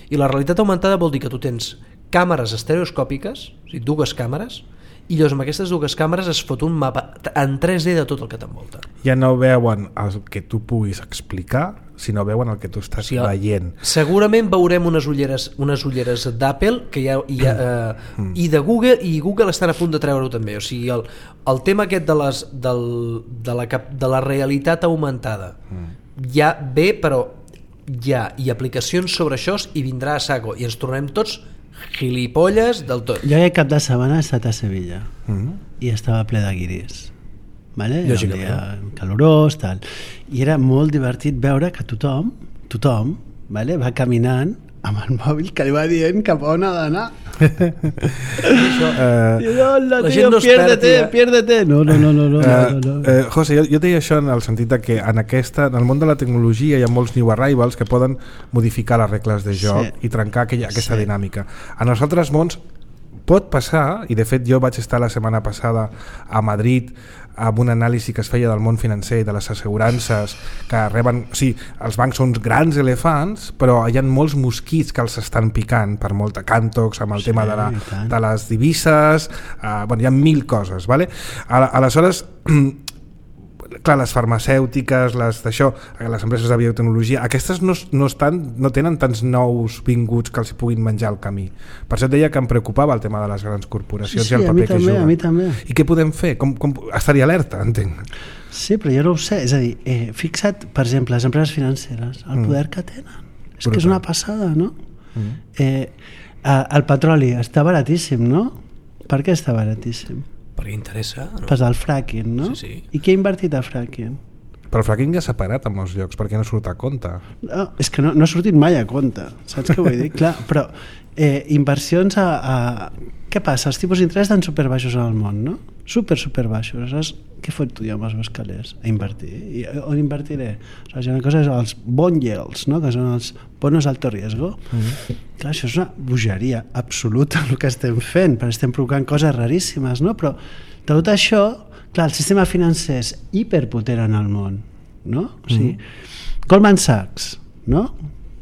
I la realitat augmentada vol dir que tu tens càmeres estereoscòpiques, o sigui, dues càmeres, i llavors amb aquestes dues càmeres es fot un mapa en tres D de tot el que t'envolta. Ja no veuen el que tu puguis explicar, sinó veuen el que tu estàs sí, veient. Segurament veurem unes ulleres, unes ulleres d'Apple que hi ha, hi ha, eh, mm. i de Google, i Google estan a punt de treure-ho també. O sigui, el, el tema aquest de, les, del, de, la, de la realitat augmentada mm. ja ve, però ja hi ha aplicacions sobre això i vindrà a saco i ens tornem tots gilipolles del tot. Jo aquest cap de setmana he estat a Sevilla mm. i estava ple de guiris, vale? Era un dia calorós, tal, i era molt divertit veure que tothom tothom vale, va caminant amb el mòbil que li va dient cap on ha d'anar. Això, uh, I hola, tio, no piérdete, piérdete. No, no, no, no, no, uh, no, no. Uh, José, jo, jo deia això en el sentit de que en, aquesta, en el món de la tecnologia hi ha molts new arrivals que poden modificar les regles de joc sí. i trencar aquella, aquesta sí. dinàmica. En els altres mons pot passar, i de fet jo vaig estar la setmana passada a Madrid amb un anàlisi que es feia del món financer, de les assegurances que reben, o sigui, els bancs són grans elefants, però hi ha molts mosquits que els estan picant per molta Cantox, amb el sí, tema de, la, de les divises, uh, bueno, hi ha mil coses, vale? Aleshores clar, les farmacèutiques, les d'això, les empreses de biotecnologia, aquestes no, no, estan, no tenen tants nous vinguts que els puguin menjar al camí. Per això et deia que em preocupava el tema de les grans corporacions sí, sí, i el paper que també, juguen. A mi també. I què podem fer? Com, com, estaria alerta, entenc. Sí, però jo no ho sé. És a dir, eh, fixa't, per exemple, les empreses financeres, el poder mm. que tenen. És Brutal. Que és una passada, no? Mm. Eh, el petroli està baratíssim, no? Per què està baratíssim? Perquè interessa, no? Pas del fracking, no? Sí, sí. I què ha invertit a fracking? Però el fracking ja s'ha parat en molts llocs, perquè no surt a compte. No, és que no, no ha sortit mai a compte, saps què vull dir? Clar, però eh, inversions a, a... Què passa? Els tipus d'interès estan superbaixos al món, no? Super, superbaixos. Aleshores, què fot tu ja amb els meus calés? A invertir. I on invertiré? Aleshores, hi ha una cosa, els bond yields, no? Que són els bonos alto riesgo. Mm-hmm. Clar, això és una bogeria absoluta el que estem fent, perquè estem provocant coses raríssimes, no? Però tot això, clar, el sistema financer és hiperpotent en el món, no? O sigui, mm-hmm. Goldman Sachs, no?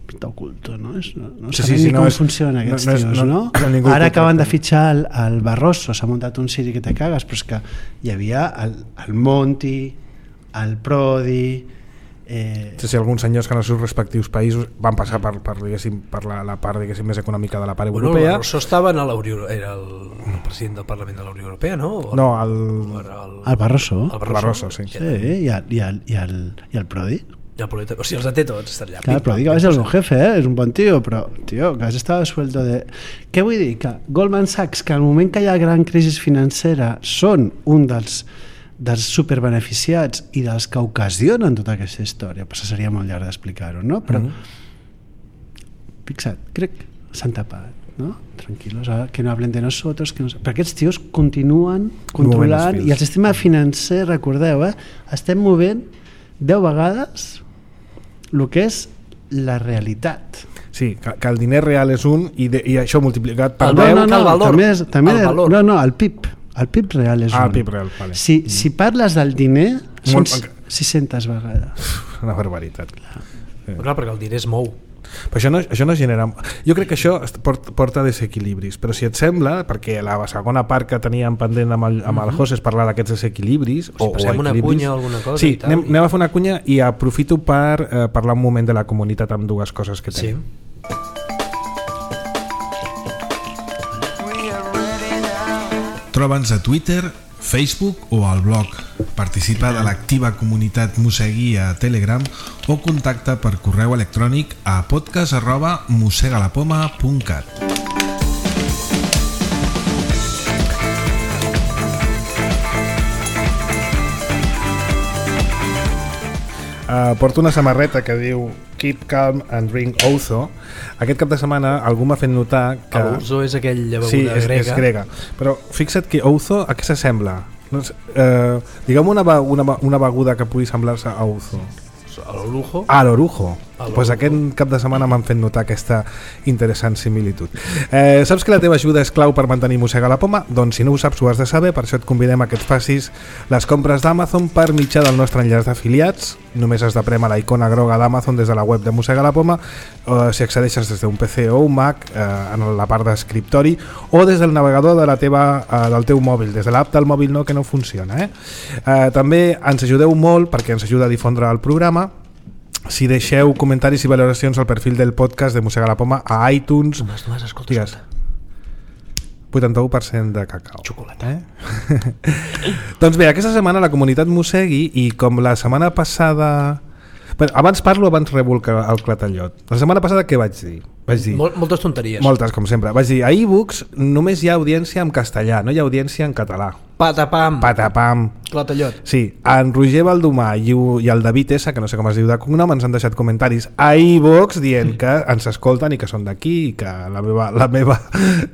Està oculto, no? És, no, no Sí, sabem sí, sí, ni no com és- funcionen no- aquests no és- tios, no- no? no ningú Ara el acaben de contracta. fitxar el, el Barroso, s'ha muntat un Siri que te cagues, però és que hi havia el, el Monti, el Prodi... Eh, Sí, sí, alguns senyors que en els seus respectius països van passar per, per, diguéssim, per la, la part diguéssim, més econòmica de la part Bueno, el europea. Barroso estava en la Unió, era el, el president del Parlament de la Unió Europea, no? O No, el, era el, el Barroso. el el Barroso, sí. Sí, i el, i el, i el, i el Prodi. Ja, el polític, o sigui, els de té tots, estan allà. Clar, Pim, però pam, dic que pim, és el pam. meu jefe, eh? És un bon tio, però, tio, que has estat suelto de... Què vull dir? Que Goldman Sachs, que al moment que hi ha gran crisi financera, són un dels, dels superbeneficiats i dels que ocasionen tota aquesta història. Però seria molt llarg d'explicar-ho, no? Però, Mhm. fixa't, crec que s'han tapat, no? Tranquilos, ara, que no hablen de nosotros, que no... Però aquests tios continuen controlant els i el fils. sistema financer, recordeu, eh? Estem movent deu vegades el que és la realitat. Sí, que, que el diner real és un i, de, i això multiplicat per El deu... no, no, el valor, també és, també el és- valor. no, no, el P I B, el P I B real és Ah, un. el P I B real, vale. Si, si parles del diner, són Molt- sis-centes vegades. Una barbaritat. Però clar, perquè el diner es mou. Però això no, això no genera... Jo crec que això est- port- porta desequilibris, però si et sembla, perquè la segona part que teníem pendent amb el, amb el José és parlar d'aquests desequilibris, Si passem una equilibris. cunya o alguna cosa Sí, i tal, anem, i- anem a fer una cunya i aprofito per eh, parlar un moment de la comunitat amb dues coses que Sí. tenim. Troba'ns a Twitter, Facebook o al blog. Participa de l'activa comunitat Mosegui a Telegram o contacta per correu electrònic a podcast arroba mosegalapoma punt cat. Uh, porto una samarreta que diu Keep Calm and Drink Ouzo. Aquest cap de setmana algú m'ha fet notar que... L'ouzo és aquella beguda sí, és, grega. és grega. Però fixa't que ouzo, a què s'assembla? No sé, eh, digue'm una, be- una, be- una beguda que pugui semblar-se a ouzo. A l'orujo. A l'orujo. A Doncs pues l'orujo. aquest cap de setmana m'han fet notar aquesta interessant similitud. Eh, saps que la teva ajuda és clau per mantenir Mossega la Poma? Doncs si no ho saps ho has de saber, per això et convidem a que et facis les compres d'Amazon per mitjà del nostre enllaç d'afiliats. Només has de prémer la icona groga d'Amazon des de la web de Mossega la Poma, o si accedeixes des d'un P C o un Mac eh, en la part d'escriptori, o des del navegador de la teva, eh, del teu mòbil, des de l'app del mòbil no, que no funciona. Eh? Eh, també ens ajudeu molt perquè ens ajuda a difondre el programa si deixeu comentaris i valoracions al perfil del podcast de Mossega la Poma a iTunes. Només, només, escolta, Digues. escolta. vuitanta-u per cent de cacau. Xocolata. Eh? Doncs bé, aquesta setmana la comunitat mossegui, i com la setmana passada... Bé, abans parlo, abans rebo el, ca- el clatallot. La setmana passada què vaig dir? Vaig dir Mol, moltes tonteries. moltes, com sempre. Vaig dir, a e-books només hi ha audiència en castellà, no hi ha audiència en català. Patapam. Patapam. Clatallot. Sí, en Roger Baldomà i, u- i el David S, que no sé com es diu de cognom, ens han deixat comentaris a iVox dient que ens escolten i que són d'aquí i que la meva, la meva,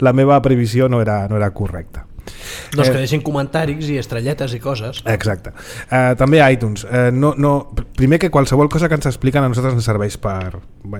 la meva previsió no era, no era correcta. Doncs que Eh, deixin comentaris i estrelletes i coses. Exacte. Uh, també a iTunes. Uh, no, no, primer que qualsevol cosa que ens expliquen a nosaltres ens serveix per...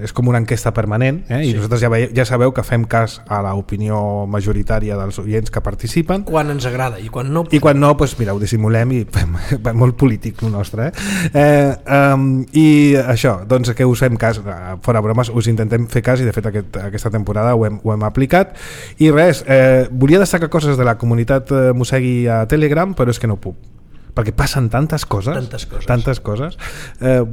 És com una enquesta permanent, eh? I Sí. nosaltres ja, veieu, ja sabeu que fem cas a l'opinió majoritària dels oients que participen. Quan ens agrada i quan no... I quan no, doncs mira, ho dissimulem i fem, fem molt polític el nostre. Eh? Eh, um, I això, doncs que us fem cas, eh, fora bromes, us intentem fer cas i de fet aquest, aquesta temporada ho hem, ho hem aplicat. I res, eh, volia destacar coses de la comunitat eh, Mossegui a Telegram, però és que no puc. Perquè passen tantes coses. Tantes coses. Tantes coses. Eh,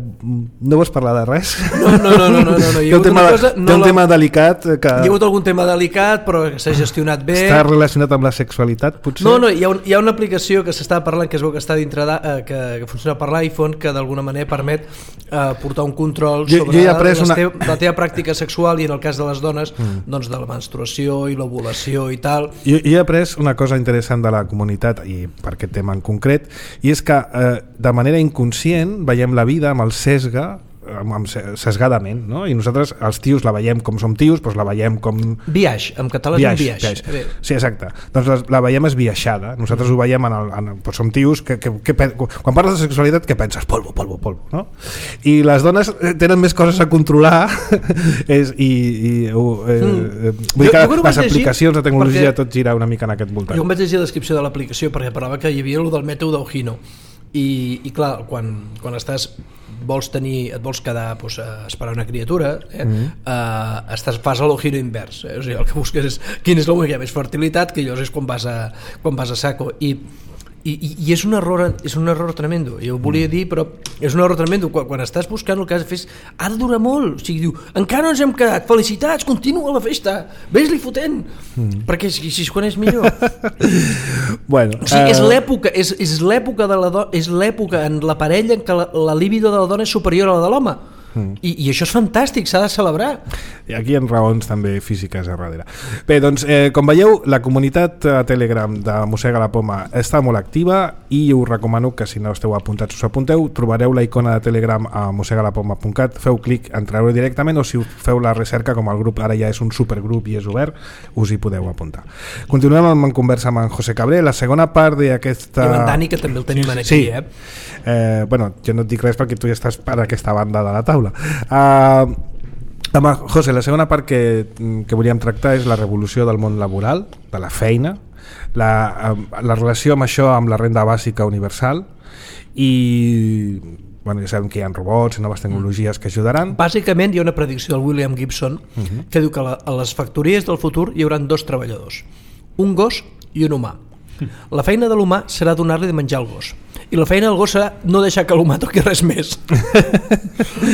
no vols parlar de res? No, no, no, no, no, no, no. Hi Té ha un hagut tema, una cosa... té No un la- tema delicat que Hi ha hagut algun tema delicat, però que s'ha gestionat bé. està relacionat amb la sexualitat, potser? No, no, hi ha, un, hi ha una aplicació que s'està parlant, que es veu que està dintre de, eh, que, que funciona per l'iPhone, que d'alguna manera permet eh, portar un control Jo- sobre jo he après la, una- teva, la teva pràctica sexual i en el cas de les dones mm. doncs de la menstruació i l'ovulació i tal. Jo, jo he après una cosa interessant de la comunitat i per aquest tema en concret, i és que eh, de manera inconscient veiem la vida amb el sesga, amb, amb se- sesgadament, no? I nosaltres els tios la veiem com som tios, doncs la veiem com... Biaix, en català és un biaix. biaix. Sí, exacte. Doncs la, la veiem esbiaixada. Nosaltres ho veiem en el... En, doncs som tios que, que, que, pen- quan parles de sexualitat, què penses? Polvo, polvo, polvo, no? I les dones eh, tenen més coses a controlar és, i, i uh, eh, Mm. vull dir Jo- que jo quan ho les vaig llegir, aplicacions de tecnologia perquè- tot gira una mica en aquest voltant. Jo em vaig llegir la descripció de l'aplicació perquè parlava que hi havia el del mètode d'Ojino i, i clar, quan, quan estàs vols tenir, et vols quedar doncs, a esperar una criatura, eh? Mm-hmm. uh, estàs, fas el giro invers, eh? O sigui, el que busques és quin és el moment que hi ha més fertilitat, que llavors és quan vas a, quan vas a saco, i I, i, i és un error és un error tremendo, jo ho volia dir, però és un error tremendo, quan, quan estàs buscant el que has de fer ha de durar molt, o sigui, diu encara no ens hem quedat, felicitats, continua la festa ves-li fotent, mm. perquè si, si es coneix millor bueno, o sigui, uh... és l'època és, és l'època de la do... és l'època en la parella en què la, la libido de la dona és superior a la de l'home. Mm. I, i això és fantàstic, s'ha de celebrar. I aquí hi ha raons també físiques a darrere. Bé, doncs, eh, com veieu, la comunitat a Telegram de Mossega la Poma està molt activa i us recomano que si no esteu apuntats us apunteu, trobareu la icona de Telegram a mossega la poma punt cat, feu clic, entreu directament, o si feu la recerca, com el grup ara ja és un supergrup i és obert, us hi podeu apuntar. Continuem amb en conversa amb en José Cabré, la segona part d'aquesta... I amb en Dani, que també el tenim aquí, sí. eh? eh? Bueno, jo no et dic res perquè tu ja estàs per aquesta banda de la taula. Uh, amb José, la segona part que, que volíem tractar és la revolució del món laboral, de la feina, la, la relació amb això, amb la renda bàsica universal, i bueno, ja sabem que hi ha robots i noves tecnologies que ajudaran. Bàsicament hi ha una predicció del William Gibson uh-huh. que diu que la, a les factories del futur hi haurà dos treballadors, un gos i un humà. La feina de l'humà serà donar-li de menjar al gos i la feina del gos serà no deixar que l'humà toqui res més.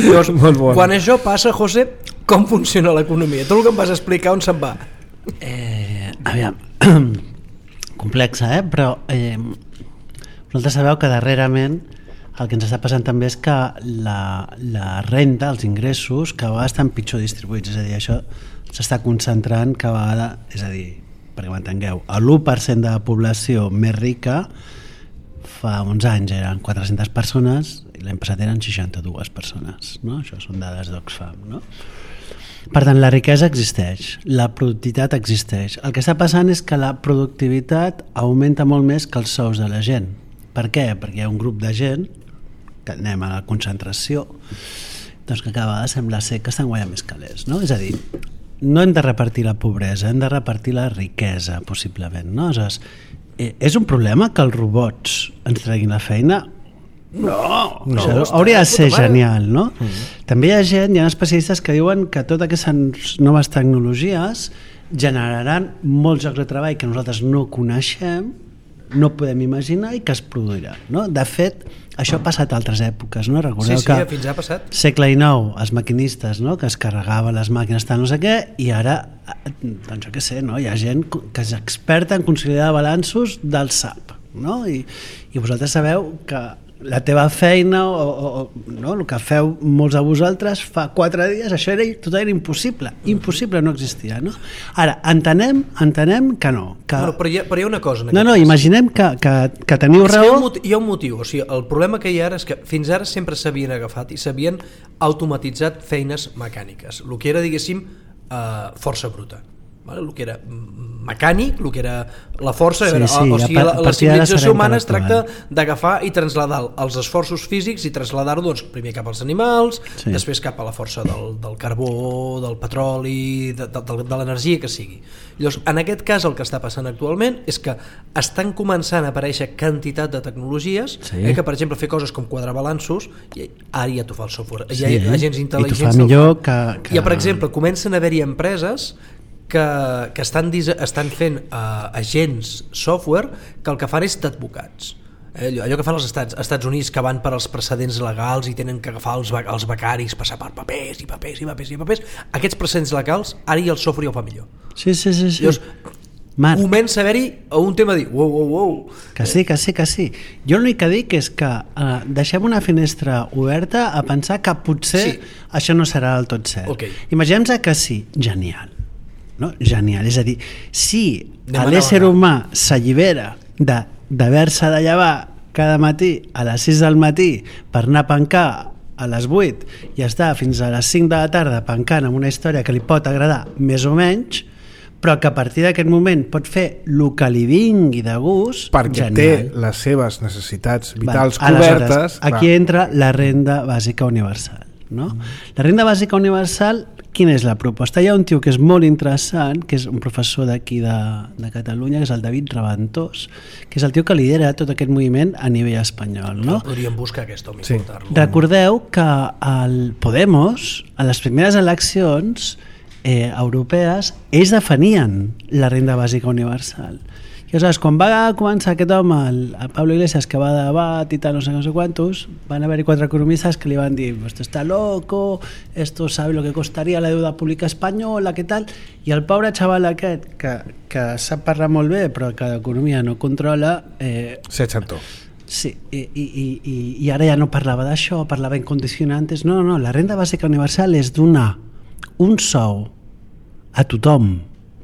Llavors, bon. Quan això passa, José, com funciona l'economia? Tot el que em vas explicar, on se'n va? Eh, aviam, complexa, eh? Però eh, vosaltres sabeu que darrerament el que ens està passant també és que la, la renda, els ingressos, cada vegada estan pitjor distribuïts, és a dir, això s'està concentrant cada vegada, és a dir, perquè m'entengueu, l'u per cent de la població més rica fa uns anys eren quatre-centes persones i l'any passat eren seixanta-dues persones, no? Això són dades d'Oxfam, no? Per tant, la riquesa existeix, la productivitat existeix. El que està passant és que la productivitat augmenta molt més que els sous de la gent. Per què? Perquè hi ha un grup de gent, que anem a la concentració, doncs que cada vegada sembla ser que estan guanyant més calés, no? És a dir, no hem de repartir la pobresa, hem de repartir la riquesa, possiblement, no? Aleshores, eh, és un problema que els robots ens treguin la feina? No, no això hauria de ser genial, no? Mm-hmm. També hi ha gent, hi ha especialistes que diuen que totes aquestes noves tecnologies generaran molts llocs de treball que nosaltres no coneixem, no podem imaginar i que es produirà, no? De fet, això ha passat a altres èpoques, no? Recordeu sí, sí, que fins ha passat. segle dinou, els maquinistes, no? Que es carregaven les màquines tal no sé què, i ara, doncs jo què sé, no? Hi ha gent que és experta en consolidar balanços del S A P, no? I, i vosaltres sabeu que la teva feina o, o, no? El que feu molts de vosaltres fa quatre dies, això era, tot era impossible, impossible, no existia, no? Ara, entenem, entenem que no, que... Bueno, però, hi ha, però hi ha una cosa en no, no, cas. Imaginem que, que, que teniu és raó. Que hi, ha motiu, hi ha un motiu, o sigui, el problema que hi ha ara és que fins ara sempre s'havien agafat i s'havien automatitzat feines mecàniques, el que era, diguéssim, eh, força bruta. Vale? El que era mecànic, el que era la força, sí, era, sí, o, o sigui, la, la civilització humana es tracta d'agafar i traslladar els esforços físics i traslladar-ho doncs, primer cap als animals, sí. Després cap a la força del, del carbó, del petroli, de, de, de, de l'energia que sigui. Llavors, en aquest cas el que està passant actualment és que estan començant a aparèixer quantitat de tecnologies, sí. eh, que per exemple fer coses com quadrar balanços, i ara ja t'ho fa el software, sí. Hi ha agents intel·ligents. I t'ho fa millor que, que... Ja, per exemple, comencen a haver-hi empreses que, que estan, estan fent uh, agents software que el que fan és d'advocats. Eh, allò, allò que fan els Estats, Estats Units, que van per als precedents legals i tenen que agafar els, els becaris, passar per papers i papers i papers i papers. Aquests precedents legals, ara i el software ja ho fa millor. Sí, sí, sí. sí. Llavors, Marc, comença a haver-hi un tema de dir wow, wow, wow. Que sí, que sí, que sí. Jo l'únic que dic és que uh, deixem una finestra oberta a pensar que potser sí. Això no serà del tot cert. Okay. Imaginem-nos que sí, genial. No? Genial, és a dir, si l'ésser humà s'allibera de, d'haver-se de llevar cada matí a les sis del matí per anar a pencar a les vuit i estar fins a les cinc de la tarda pencant amb una història que li pot agradar més o menys, però que a partir d'aquest moment pot fer el que li vingui de gust, perquè genial. Té les seves necessitats vitals Va, cobertes. Aquí va. Entra la renda bàsica universal, no? Mm. La renda bàsica universal, quina és la proposta? Hi ha un tio que és molt interessant, que és un professor d'aquí de, de Catalunya, que és el David Raventós, que és el tio que lidera tot aquest moviment a nivell espanyol. No? Podríem buscar aquest home i Sí. portar-lo. Recordeu que el Podemos, a les primeres eleccions eh, europees, ells definien la renda bàsica universal. I aleshores, quan va començar aquest home, el, el Pablo Iglesias, que va a debat i tal, no sé, no sé quantos, van haver-hi quatre economistes que li van dir esto está loco, esto sabe lo que costaría la deuda pública espanyola, què tal? I el pobre xaval aquest, que, que sap parlar molt bé, però que d'economia no controla... Eh, Se xantó. Sí, i, i, i, i ara ja no parlava d'això, parlava en condicionantes. No, no, no, la renda bàsica universal és donar un sou a tothom,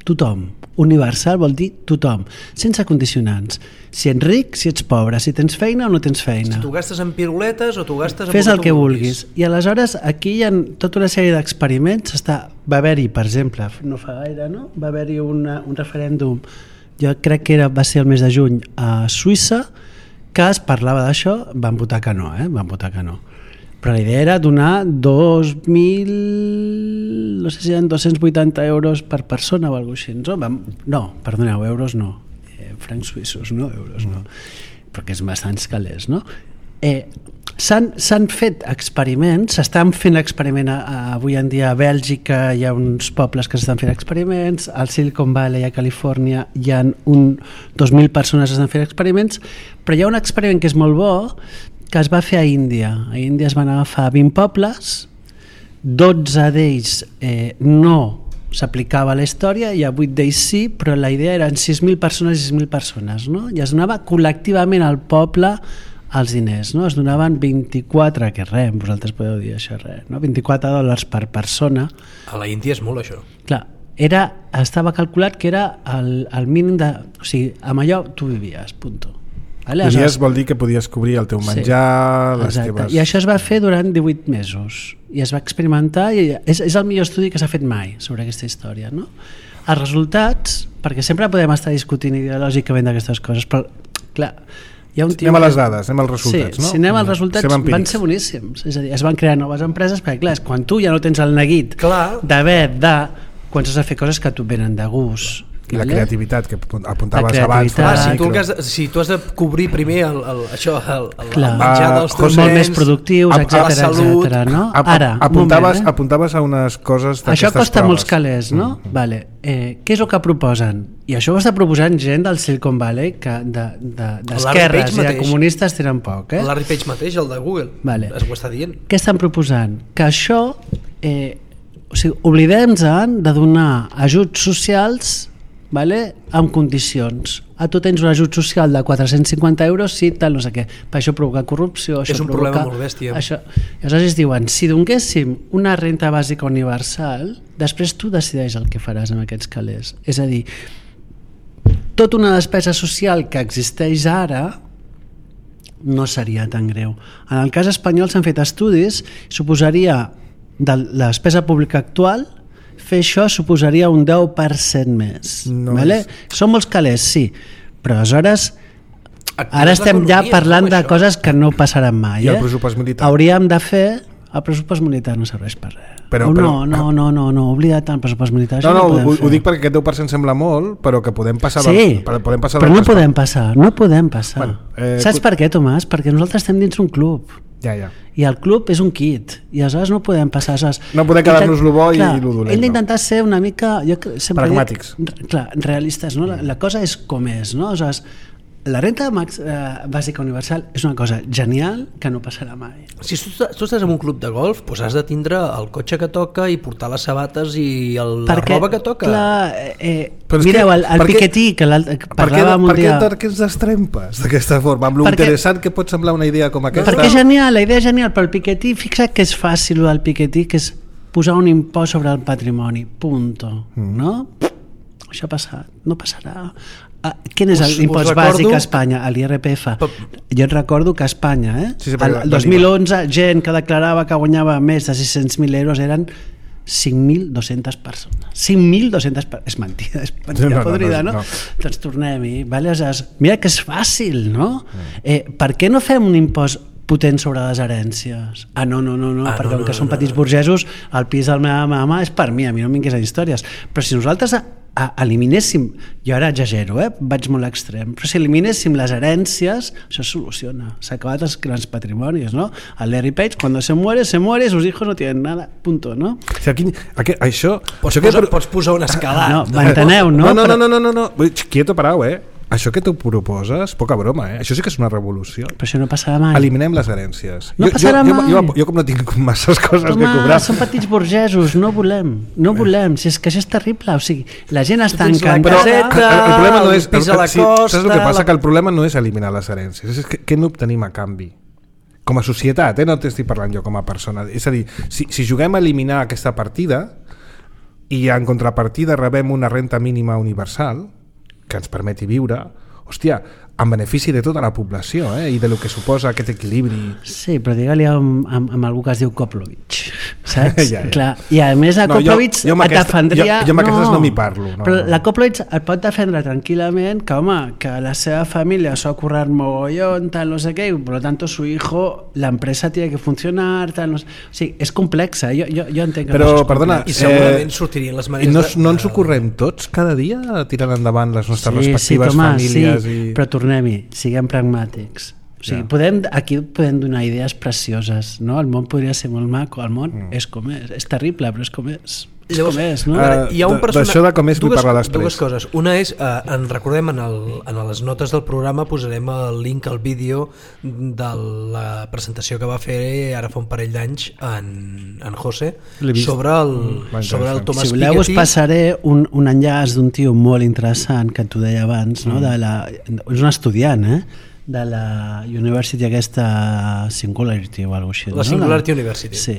tothom. Universal vol dir tothom, sense condicionants. Si ets ric, si ets pobre, si tens feina o no tens feina. Si tu gastes en piruletes o tu gastes en... Fes el que vulguis. I aleshores aquí hi ha tota una sèrie d'experiments. Està... Va haver-hi, per exemple, no fa gaire, no? Va haver-hi una, un referèndum, jo crec que era, va ser el mes de juny, a Suïssa, que es parlava d'això, van votar que no, eh? Van votar que no. Però la idea era donar dos mil, no sé si eren dos-cents vuitanta euros per persona o alguna cosa així. No, vam, no perdoneu, euros no. Eh, francs suïssos, no, euros no. Perquè és bastants calés, no? Eh, s'han, s'han fet experiments, s'estan fent experiments a, a, avui en dia a Bèlgica, hi ha uns pobles que s'estan fent experiments, al Silicon Valley, a Califòrnia, hi ha un, dos mil persones que estan fent experiments, però hi ha un experiment que és molt bo, que es va fer a Índia. A Índia es van agafar vint pobles, dotze d'ells eh, no s'aplicava a la història i a vuit d'ells sí, però la idea eren sis mil persones i sis mil persones, no? I es donava col·lectivament al poble els diners, no? Es donaven vint-i-quatre, que res, vosaltres podeu dir això res, no? vint-i-quatre dòlars per persona. A la Índia és molt això. Clar, era, estava calculat que era el, el mínim de... O sigui, amb allò tu vivies, punto. Vale? Podies vol dir que podies cobrir el teu menjar, sí, les exacte. teves... I això es va fer durant divuit mesos i es va experimentar i és, és el millor estudi que s'ha fet mai sobre aquesta història, no? Els resultats, perquè sempre podem estar discutint ideològicament d'aquestes coses, però clar, hi ha un tio... Anem a les dades, anem als resultats, sí, no? Si anem als resultats Sem van ser boníssims, és a dir, es van crear noves empreses perquè clar, quan tu ja no tens el neguit Clar. d'haver de... quan has de fer coses que tu venen de gust. I la vale? creativitat que apuntaves La abans. creativitat. Ah, si, micro. tu has de, si tu has de cobrir primer el, el, això, el, el, Clar. el menjar Ah, dels teus Molt nens, més productius, a- a etcètera, la salut. etcètera, no? A- a- Ara, un apuntaves, moment, eh? apuntaves a unes coses d'aquestes Això costa proves. molts calés, no? Mm. Vale. Eh, què és el que proposen? I això ho està proposant gent del Silicon Valley que de, de, d'esquerres Page i de mateix. comunistes tenen poc, eh? el Larry Page mateix, el de Google, Vale. es ho està dient. Què estan proposant? Que això, eh, o sigui, oblidem-nos de donar ajuts socials, vale, amb condicions. A tu tens un ajut social de quatre-cents cinquanta euros, sí, tal, no sé què. Per això provoca corrupció. Això És un provoca, problema molt bèstia. Això. I aleshores es diuen, si donéssim una renta bàsica universal, després tu decideix el que faràs amb aquests calés. És a dir, tota una despesa social que existeix ara no seria tan greu. En el cas espanyol s'han fet estudis, suposaria de la despesa pública actual fer això suposaria un deu per cent més. No vale? és- Són molts calés, sí, però aleshores Actives ara estem ja l'economia, parlant no, de això? coses que no passaran mai. I el eh? pressupost militar? Hauríem de fer... El pressupost militar no serveix per res. Però- Oh, però- no, no, no, no, no, oblida't el pressupost militar. No, això no, podem ho, fer. ho dic perquè aquest deu per cent sembla molt, però que podem passar... Sí, del, podem passar però no d'altres podem passar, no podem passar. Bueno, eh, Saps tu- per què, Tomàs? Perquè nosaltres estem dins un club. Ja, ja. I el club és un kit i aleshores no podem passar aleshores, No podem quedar-nos lo bo i clar, lo dolent, hem no. d'intentar ser una mica jo cre- sempre Pragmàtics. dic, clar, realistes, no? la, la cosa és com és, no? Aleshores, la renta max, eh, bàsica universal és una cosa genial que no passarà mai. Si tu, tu estàs en un club de golf, doncs has de tindre el cotxe que toca i portar les sabates i el, la roba que toca. Clar, eh, Però és mireu, que- el, el per què- Piketty que, l'altre- que Per què, parlàvem per un què dia... per què ens destrempes d'aquesta forma? Amb lo Perquè- interessant que pot semblar una idea com aquesta. Perquè és genial, la idea és genial, però el Piketty, fixa't que és fàcil el del Piketty, que és posar un impost sobre el patrimoni, punto, Mm. no? Això ha passat, no passarà. Ah, quin és Us- us l'impost recordo- bàsic a Espanya? L'I R P F. Però- Jo et recordo que a Espanya, eh? Sí, sí, perquè el va- dos mil onze, gent que declarava que guanyava més de sis-cents mil euros eren cinc mil dos-centes persones. cinc mil dos-centes persones. És mentida, és mentida No, no, no, podrida, no? no. Doncs tornem-hi. Vale? Aleshores, mira que és fàcil, no? Eh, per què no fem un impost potent sobre les herències. Ah, no, no, no, no ah, perquè no, com que no, són no, petits no. burgesos, el pis de la meva mama és per mi, a mi no em vingués a històries. Però si nosaltres a, a, eliminéssim, jo ara exagero, eh? Vaig molt a l'extrem, però si eliminéssim les herències, això es soluciona. S'ha acabat els grans patrimonis, no? El Larry Page, cuando se muere, se muere, sus hijos no tienen nada, punto, no? O sigui, aquí, aquí, això... Pots, això posar, que... pots posar un escalat. No, m'enteneu, no? No, no, no, no, no, no. Quieto, parau, eh? Això que tu proposes, poca broma, eh? Això sí que és una revolució. Però això no passarà mai. Eliminem les herències. No jo, passarà jo, mai. Jo, jo, jo com no tinc masses coses Home, que cobrar... són petits burgesos, no volem, no volem, si és que això és terrible, o sigui, la gent està tens la encantada... caseta, el, el problema no és... el pis a la sí, costa, saps el que passa? la... Que el problema no és eliminar les herències, és que què n'obtenim a canvi? Com a societat, eh? No t'estic parlant jo com a persona. És a dir, si, si juguem a eliminar aquesta partida i en contrapartida rebem una renta mínima universal que ens permeti viure, hòstia, en benefici de tota la població, eh? I de lo que suposa aquest equilibri. Sí, però digue-li amb, amb, amb algú que es diu Koplovich, saps? ja, ja. Clar. I a més a No, Koplovich jo- jo amb et aquesta- defendria... jo- jo amb aquestes no m'hi parlo, no. Però la Koplovich et pot defendre tranquil·lament que, home, que la seva família s'ha currat mogollón, tal, no sé què, i per tant su hijo, la empresa tiene que funcionar, tal, no sé... O sigui, és complexa, jo, jo, jo entenc que Però, no és perdona, I segurament sortirien les I maneres no, de- no ens ho correm tots cada dia tirant endavant les nostres sí, respectives sí, Tomàs, famílies sí, i... però tornem-hi, siguem pragmàtics. O sigui, Ja. podem, aquí podem donar idees precioses, no? El món podria ser molt maco, el món mm. és com és, és terrible, però és com és. És Llavors, com és, no? eh, Ara, hi ha un d- persona... d'això de com és vull dues, parlar després. Dues coses. Una és, eh, en recordem, en, el, en les notes del programa posarem el link al vídeo de la presentació que va fer ara fa un parell d'anys en, en José L'he vist. sobre el, Mm, sobre el interessant. Tomàs Si voleu us Piketty. passaré un, un enllaç d'un tio molt interessant que t'ho deia abans, no? De la, és un estudiant, eh? De la University aquesta Singularity o alguna cosa així. La no? Singularity University. Sí,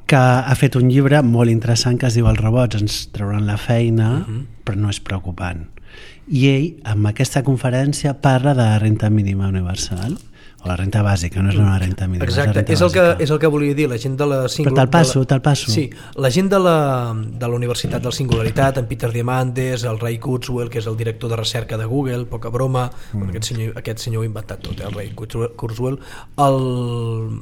que ha fet un llibre molt interessant que es diu Els robots ens trauran la feina, uh -huh. però no és preocupant. I ell, amb aquesta conferència, parla de la renta mínima universal, o la renta bàsica, no és una renta mínima. Exacte, és, és el, que, és el que volia dir, la gent de la... Singular... Però te'l passo, de la... te'l passo. Sí, la gent de la, de la Universitat del Singularitat, en Peter Diamandis, el Ray Kurzweil, que és el director de recerca de Google, poca broma, mm. aquest, senyor, aquest senyor ho ha inventat tot, eh, el Ray Kurzweil, el...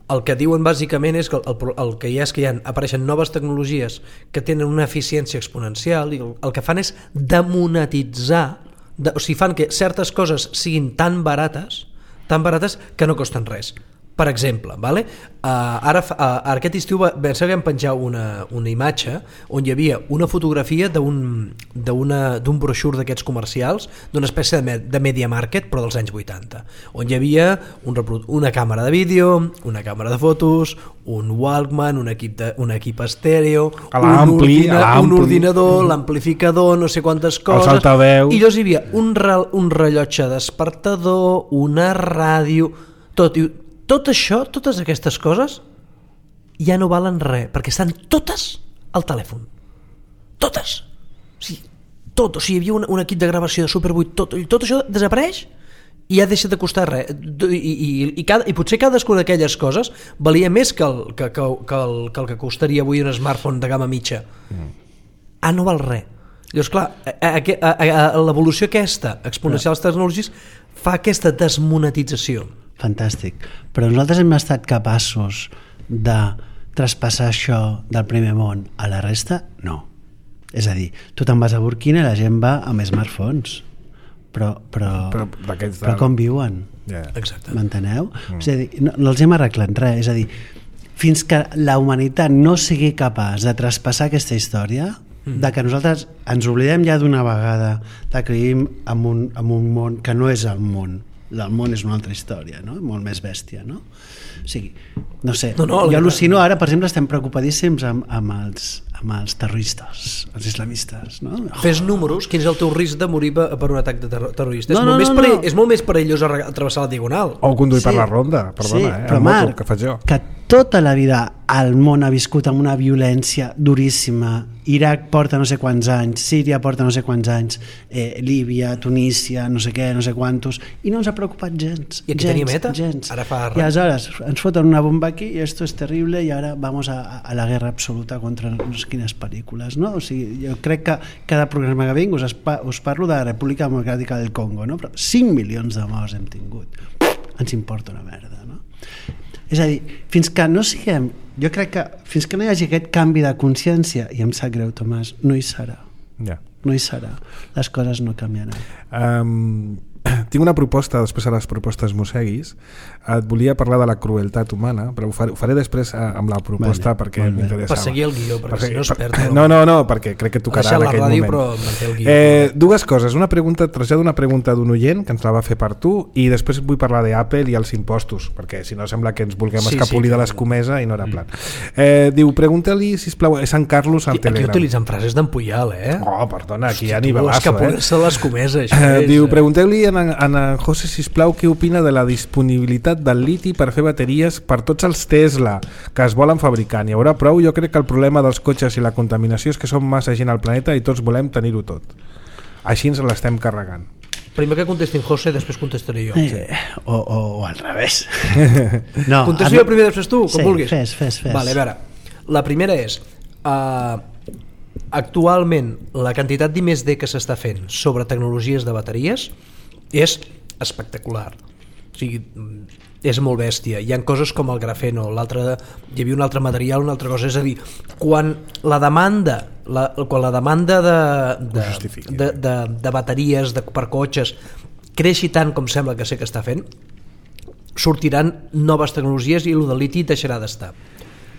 El que diuen bàsicament és que el, el que hi ha és que hi ha, apareixen noves tecnologies que tenen una eficiència exponencial i el, el que fan és demonetitzar, de, o sigui, fan que certes coses siguin tan barates, tan barates que no costen res. Per exemple, vale? uh, ara, uh, ara aquest estiu va, vam penjar una, una imatge on hi havia una fotografia d'un broixur d'aquests comercials, d'una espècie de, me, de media market, però dels anys vuitanta, on hi havia un, una càmera de vídeo, una càmera de fotos, un Walkman, un equip, de, un equip estèreo, un, ordina, un ordinador, l'amplificador, no sé quantes coses, altaveu. i llavors hi havia un, re, un rellotge despertador, una ràdio, tot, i tot això, totes aquestes coses ja no valen res, perquè estan totes al telèfon, totes, o sigui, tot, o sigui, hi havia un, un equip de gravació de Super vuit, tot, i tot això desapareix i ja deixa de costar res, i, i, i, cada, i potser cadascuna d'aquelles coses valia més que el que, que, que, el, que el que costaria avui un smartphone de gamma mitja. mm. Ah, no val res. Llavors, clar, a, a, a, a, a l'evolució aquesta exponencial dels tecnologies fa aquesta desmonetització. Fantàstic, però nosaltres hem estat capaços de traspassar això del primer món a la resta? No. És a dir, tu te'n vas a Burkina i la gent va amb smartphones, però, però, Però però, d'aquests però de- com viuen? Yeah. Exacte. M'enteneu? Mm. És a dir, no, no els hem arreglat res, és a dir, fins que la humanitat no sigui capaç de traspassar aquesta història, mm. de que nosaltres ens oblidem ja d'una vegada de que vivim en un, en un món que no és el món, el món és una altra història, no? Molt més bèstia, no? O sigui, no sé, No, no, jo el- al·lucino ara, per exemple, estem preocupadíssims amb, amb, els, amb els terroristes, els islamistes, no? Fes números, quin és el teu risc de morir per per un atac de terror- terrorista? No, és, no, molt més no, perell, no. és molt més perillós arre- travessar la diagonal. O conduir Sí. per la ronda, perdona, Sí, eh? però en moto, Marc, que faig jo. que tota la vida el món ha viscut amb una violència duríssima. Iraq porta no sé quants anys, Síria porta no sé quants anys, eh, Líbia, Tunísia, no sé què, no sé quantos, i no ens ha preocupat gens. I aquí gens, tenim ETA? Gens. Ara fa I aleshores ens foten una bomba aquí i esto es terrible i ara vamos a, a la guerra absoluta contra no sé quines pel·lícules, no? O sigui, jo crec que cada programa que vinc us, us parlo de la República Democràtica del Congo, no? Però cinc milions de morts hem tingut. ens importa una merda, no? És a dir, fins que no siguem, jo crec que fins que no hi hagi aquest canvi de consciència, i em sap greu, Tomàs, no hi serà. Ja. No hi serà. Les coses no canviaran. Um, tinc una proposta, després a les propostes mosseguis. Et volia parlar de la crueltat humana, però ho faré, ho faré després amb la proposta, vale, perquè m'interessava. Per seguir el guió, perquè, perquè si no es perd. Per, no, no, no, perquè crec que tocarà en aquell la ràdio, moment. però manté el guió. Eh, dues coses. Una pregunta, trasllado una pregunta d'un oient que ens la va fer per tu, i després vull parlar d'Apple i els impostos, perquè si no sembla que ens vulguem sí, escapolir sí, de l'escomesa i no era plan. Eh, diu, pregunta-li, sisplau, és en Carlos al Telegram. Aquí utilitzen frases d'en Puyal, eh? Oh, perdona, aquí hi ha nivelasso, eh? Escapolir-se de l'escomesa, això eh, és... Diu, pregunteu-li a en, en, en José, sisplau, què opina de la disponibilitat del liti per fer bateries per tots els Tesla que es volen fabricar. N'hi haurà prou? Jo crec que el problema dels cotxes i la contaminació és que som massa gent al planeta i tots volem tenir-ho tot. Així ens l'estem carregant. Primer que contestin José, després contestaré jo. Eh, o, o, o al revés. No, contesto jo primer, després tu, com sí, vulguis. Fes, fes, fes. Vale, a veure, la primera és... Uh, actualment, la quantitat d'I més D que s'està fent sobre tecnologies de bateries és espectacular. O sigui, és molt bèstia. Hi ha coses com el grafeno, l'altre, hi havia un altre material, una altra cosa. És a dir, quan la demanda, la, quan la demanda de, de, de, de, de bateries de, per cotxes creixi tant com sembla que sé que està fent, sortiran noves tecnologies i el de liti deixarà d'estar.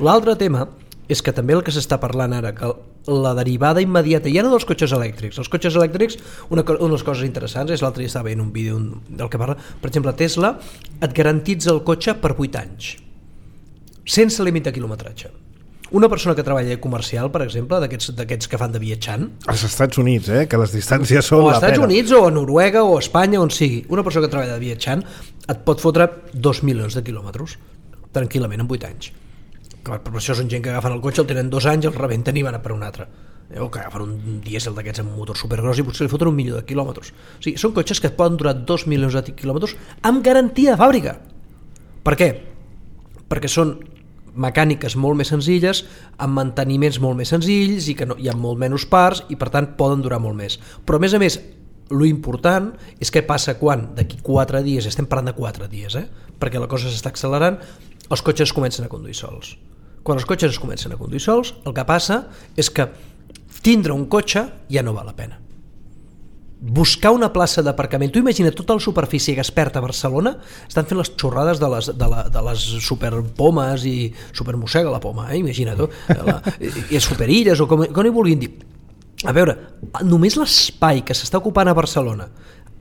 L'altre tema és que també el que s'està parlant ara, que la derivada immediata, ja no dels cotxes elèctrics, els cotxes elèctrics, una, una de les coses interessants és, l'altre dia estava veient un vídeo del que parla, per exemple, Tesla et garantitza el cotxe per vuit anys, sense límit de quilometratge. Una persona que treballa de comercial, per exemple, d'aquests que fan de viatjant... Als Estats Units, eh? Que les distàncies són la pena. O als Estats Units, o a Noruega, o a Espanya, on sigui. Una persona que treballa de viatjant et pot fotre dos milions de quilòmetres, tranquil·lament, en vuit anys. Per això són gent que agafen el cotxe, el tenen dos anys, el rebenten i van a per un altre. O que agafen un dièsel d'aquests amb un motor supergros i potser li foten un milió de quilòmetres. O sigui, són cotxes que poden durar dos milions de quilòmetres amb garantia de fàbrica. Per què? Perquè són mecàniques molt més senzilles, amb manteniments molt més senzills i que no, hi ha molt menys parts i per tant poden durar molt més. Però a més a més, lo important és què passa quan d'aquí quatre dies, estem parlant de quatre dies, eh? Perquè la cosa s'està accelerant, els cotxes comencen a conduir sols. Quan els cotxes es comencen a conduir sols, el que passa és que tindre un cotxe ja no val la pena. Buscar una plaça d'aparcament, tu imagina tota la superfície que es perd a Barcelona, estan fent les xorrades de les, de la, de les superpomes i supermossega la poma, eh? Imagina tu, la, i superilles o com, com hi vulguin dir. A veure, només l'espai que s'està ocupant a Barcelona,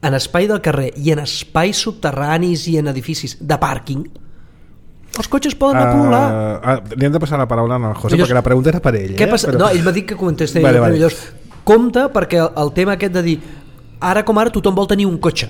en espai del carrer i en espais subterranis i en edificis de pàrquing, els cotxes poden anar a pol·lular. Uh, uh, li hem de passar la paraula al José, llavors, perquè la pregunta era per ell. Què eh? passa? Però... No, ell m'ha dit que contestés. Vale, vale. Llavors, compte, perquè el, el tema aquest de dir ara com ara tothom vol tenir un cotxe.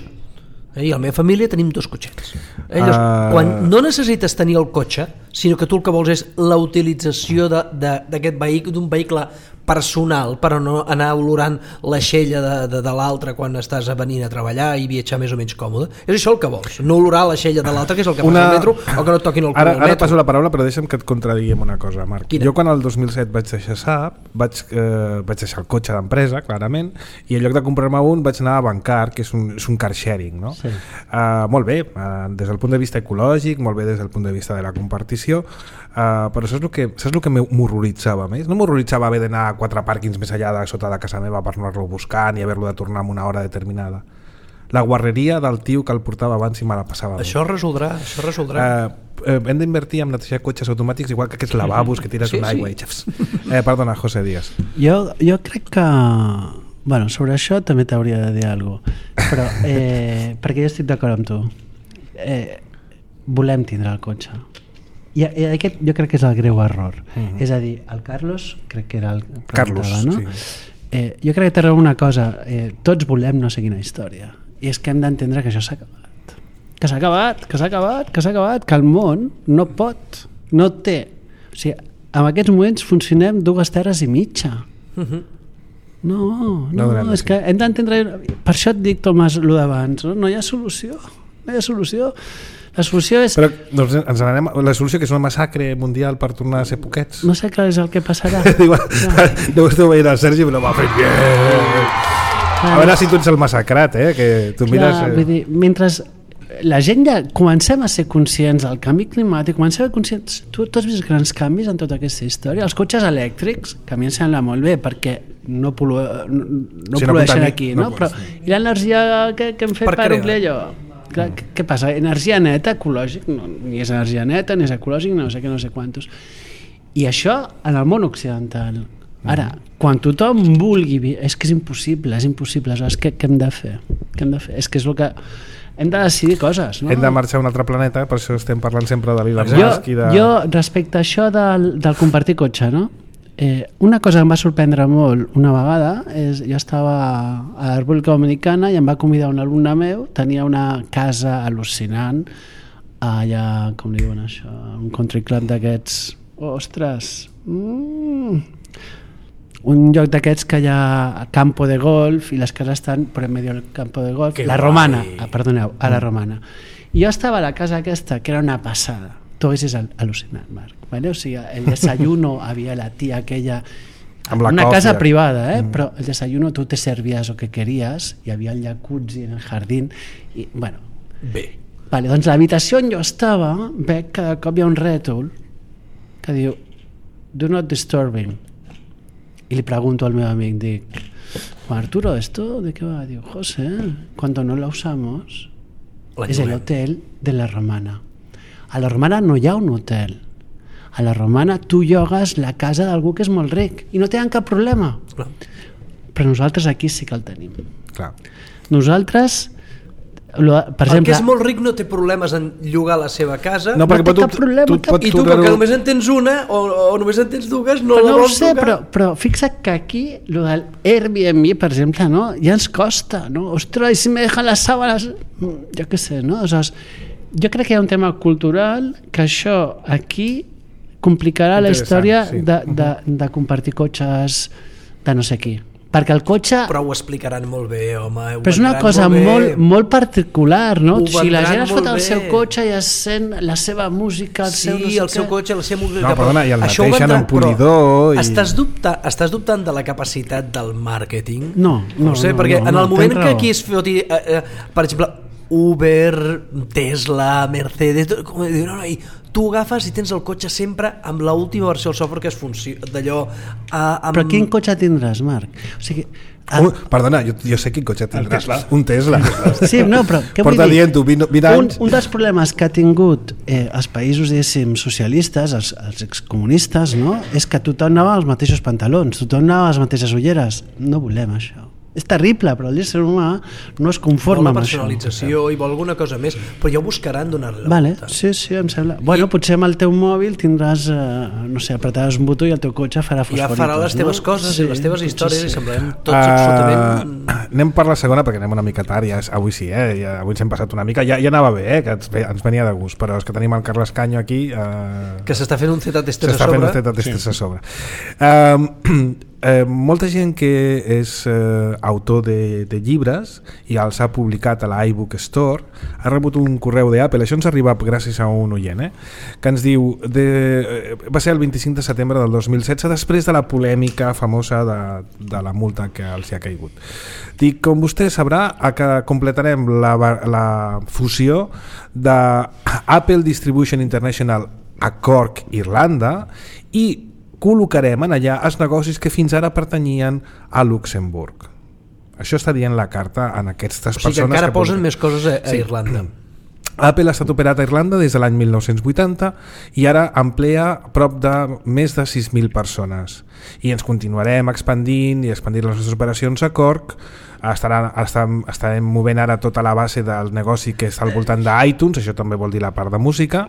Eh? I a la meva família tenim dos cotxets. Eh? Llavors, uh... quan no necessites tenir el cotxe, sinó que tu el que vols és la utilització d'aquest vehicle, d'un vehicle personal, però no anar olorant l'aixella de, de, de l'altre quan estàs venint a treballar i viatjar més o menys còmode. És això el que vols, no olorar l'aixella de l'altre, que és el que Una... passa al metro, o que no et toquin el cul ara, al metro. Ara passo la paraula, però deixa'm que et contradigui amb una cosa, Marc. Quina? Jo quan el dos mil set vaig deixar Saab, vaig, eh, vaig deixar el cotxe d'empresa, clarament, i en lloc de comprar-me un vaig anar a Bancar, que és un, és un car sharing, no? Sí. Uh, molt bé, uh, des del punt de vista ecològic, molt bé des del punt de vista de la compartició, uh, però saps el que, saps el que m'horroritzava més? No m'horroritzava haver d'anar a quatre pàrquings més allà de sota de casa meva per anar-lo a buscar ni haver-lo de tornar en una hora determinada. La guarreria del tio que el portava abans i me la passava. Això es resoldrà, això es resoldrà. Uh, uh, hem d'invertir en netejar cotxes automàtics igual que aquests lavabos que tires sí, una aigua sí. i xafs. Eh, perdona, José, digues. Jo, jo crec que... Bueno, sobre això també t'hauria de dir alguna cosa, però eh, perquè jo estic d'acord amb tu. Eh, volem tindre el cotxe. I, i aquest jo crec que és el greu error. Uh-huh. És a dir, el Carlos, crec que era el Carlos, no? sí. Eh, jo crec que té raó una cosa, eh, tots volem no sé quina història, i és que hem d'entendre que això s'ha acabat. Que s'ha acabat, que s'ha acabat, que s'ha acabat, que el món no pot, no té. O sigui, en aquests moments funcionem dues terres i mitja. Uh-huh. No, no, no és que hem d'entendre... Per això et dic, Tomàs, el d'abans, no? No hi ha solució, no hi ha solució. La solució és... Però doncs ens n'anem... La solució que és una massacre mundial per tornar a ser poquets. No sé clar és el que passarà. Deu estar veient el Sergi, però m'ha fet bien. A veure si tu ets el massacrat, eh? Que tu mires... Clar, vull dir, mentre la gent ja comencem a ser conscients del canvi climàtic, comencem a ser conscients, tu, tu has vist grans canvis en tota aquesta història, els cotxes elèctrics, que a mi em sembla molt bé perquè no, polua, no, no Si no polueixen contami- aquí, no no? Però i l'energia que, que hem fet Per per, crear. omplir allò? Clar, què, què passa? Energia neta, ecològic, no, ni és energia neta, ni és ecològic, no sé què, no sé quantos. I això en el món occidental. Ara, quan tothom vulgui, vi- és que és impossible, és impossible, aleshores què, què hem de fer? Què hem de fer? És que és el que... Hem de decidir coses, no? Hem de marxar a un altre planeta, per això estem parlant sempre de l'Elon jo, Musk i de... jo, respecte a això del, del compartir cotxe, no? Eh, una cosa que em va sorprendre molt una vegada és, jo estava a la República Dominicana i em va convidar un alumne meu, tenia una casa al·lucinant allà, com li diuen això, un country club d'aquests, ostres, mm, un lloc d'aquests que hi ha campo de golf i les cases estan per en medio del campo de golf, Que la guai. romana, ah, perdoneu, a la romana. I jo estava a la casa aquesta, que era una passada, tu haguessis al- al·lucinat, Marc, vale? O sigui, el desayuno, havia la tia aquella, Amb la una còfia. casa privada, eh? Mm. Però el desayuno tu te servías lo que querías, hi havia el jacuzzi en el jardín, i, bueno, Bé. vale, doncs l'habitació on jo estava, veig que de cop hi ha un rètol que diu do not disturbing, y le pregunto al meu amic, dic, Juan Arturo, ¿esto de qué va? Digo, José, cuando no la usamos La es el lloguem. hotel de la Romana. A la Romana no hi ha un hotel. A la Romana tu llogues la casa d'algú que és molt ric i no tenen cap problema. Clar. Però nosaltres aquí sí que el tenim. Clar. Nosaltres, lo, per El exemple... que és molt ric no té problemes en llogar la seva casa, No, No perquè té pot, cap problema, tu, cap- pots i tu, com tocar-ho- que només en tens una o, o només en tens dues, no Però la no ho vols sé, tocar. però, però fixa't que aquí lo del Airbnb, per exemple, no? Ja ens costa, no? Ostres, i si me dejan les sábanas... Jo què sé, no? Aleshores, jo crec que hi ha un tema cultural que això aquí complicarà la Interessant, història sí. de, de, de compartir cotxes de no sé qui. Perquè el cotxe... Però ho explicaran molt bé, home. ho Però és una vendran cosa molt, molt, bé. molt particular, no? Ho Si la vendran gent es fot molt al seu bé. cotxe i es sent la seva música, el Sí, seu no sé el seu què. cotxe, la seva música... No, perdona, i el Això ho mateix en vendran, el polidor però i- Estàs, dubta, estàs dubtant de la capacitat del màrqueting? No, no, ho sé, no, perquè no, en no, el moment tens que raó. aquí es foti, eh, eh, per exemple, Uber, Tesla, Mercedes, tot, com diuen, no, no, i tu agafes i tens el cotxe sempre amb l'última versió del software que es funciona, d'allò... Eh, amb... Però quin cotxe tindràs, Marc? O sigui... ah, Uh, perdona, jo, jo sé quin cotxe tindràs. Tesla. Un Tesla. Sí, no, però què vull Porta dir? dient-ho vint, vint Un, anys. un dels problemes que ha tingut eh, els països, diguéssim, socialistes, els, els excomunistes, no? És que tothom anava als mateixos pantalons, tothom anava a les mateixes ulleres. No volem això. És terrible, però l'ésser humà no es Vol conforma la amb això. personalització i vol alguna cosa més, però ja ho buscaran donar-li la Vale, volta. sí, sí, em sembla. Bueno, potser amb el teu mòbil tindràs, eh, no sé, apretaràs un botó i el teu cotxe farà Ja fosforitos, farà les teves no? coses i les teves potser històries sí. i semblarem tots absolutament... Uh, anem per la segona perquè anem una mica tard, ja, és- avui sí, eh? ja, avui ens hem passat una mica, ja, ja anava bé, eh? que ens, ve- ens venia de gust, però és que tenim el Carles Canyo aquí, uh, Que s'està fent un Z-tester a s'està fent sobre. un Z-testes sí. a sobre. Um, eh, molta gent que és eh, autor de, de llibres i els ha publicat a la iBook Store ha rebut un correu d'Apple, això ens arriba gràcies a un oient, eh? que ens diu de, eh, va ser el vint-i-cinc de setembre del dos mil setze, després de la polèmica famosa de, de la multa que els hi ha caigut. Dic, com vostè sabrà, a que completarem la, la fusió de Apple Distribution International a Cork, Irlanda, i col·locarem en allà els negocis que fins ara pertanyien a Luxemburg. Això està dient la carta en aquestes O sigui que persones encara que posen publiquen. més coses a, a Sí. Irlanda. Apple ha estat operat a Irlanda des de l'any mil nou-cents vuitanta i ara emplea prop de més de sis mil persones. I ens continuarem expandint i expandint les nostres operacions a Cork. Estarà, estarem, estarem movent ara tota la base del negoci que està al voltant d'iTunes, això també vol dir la part de música,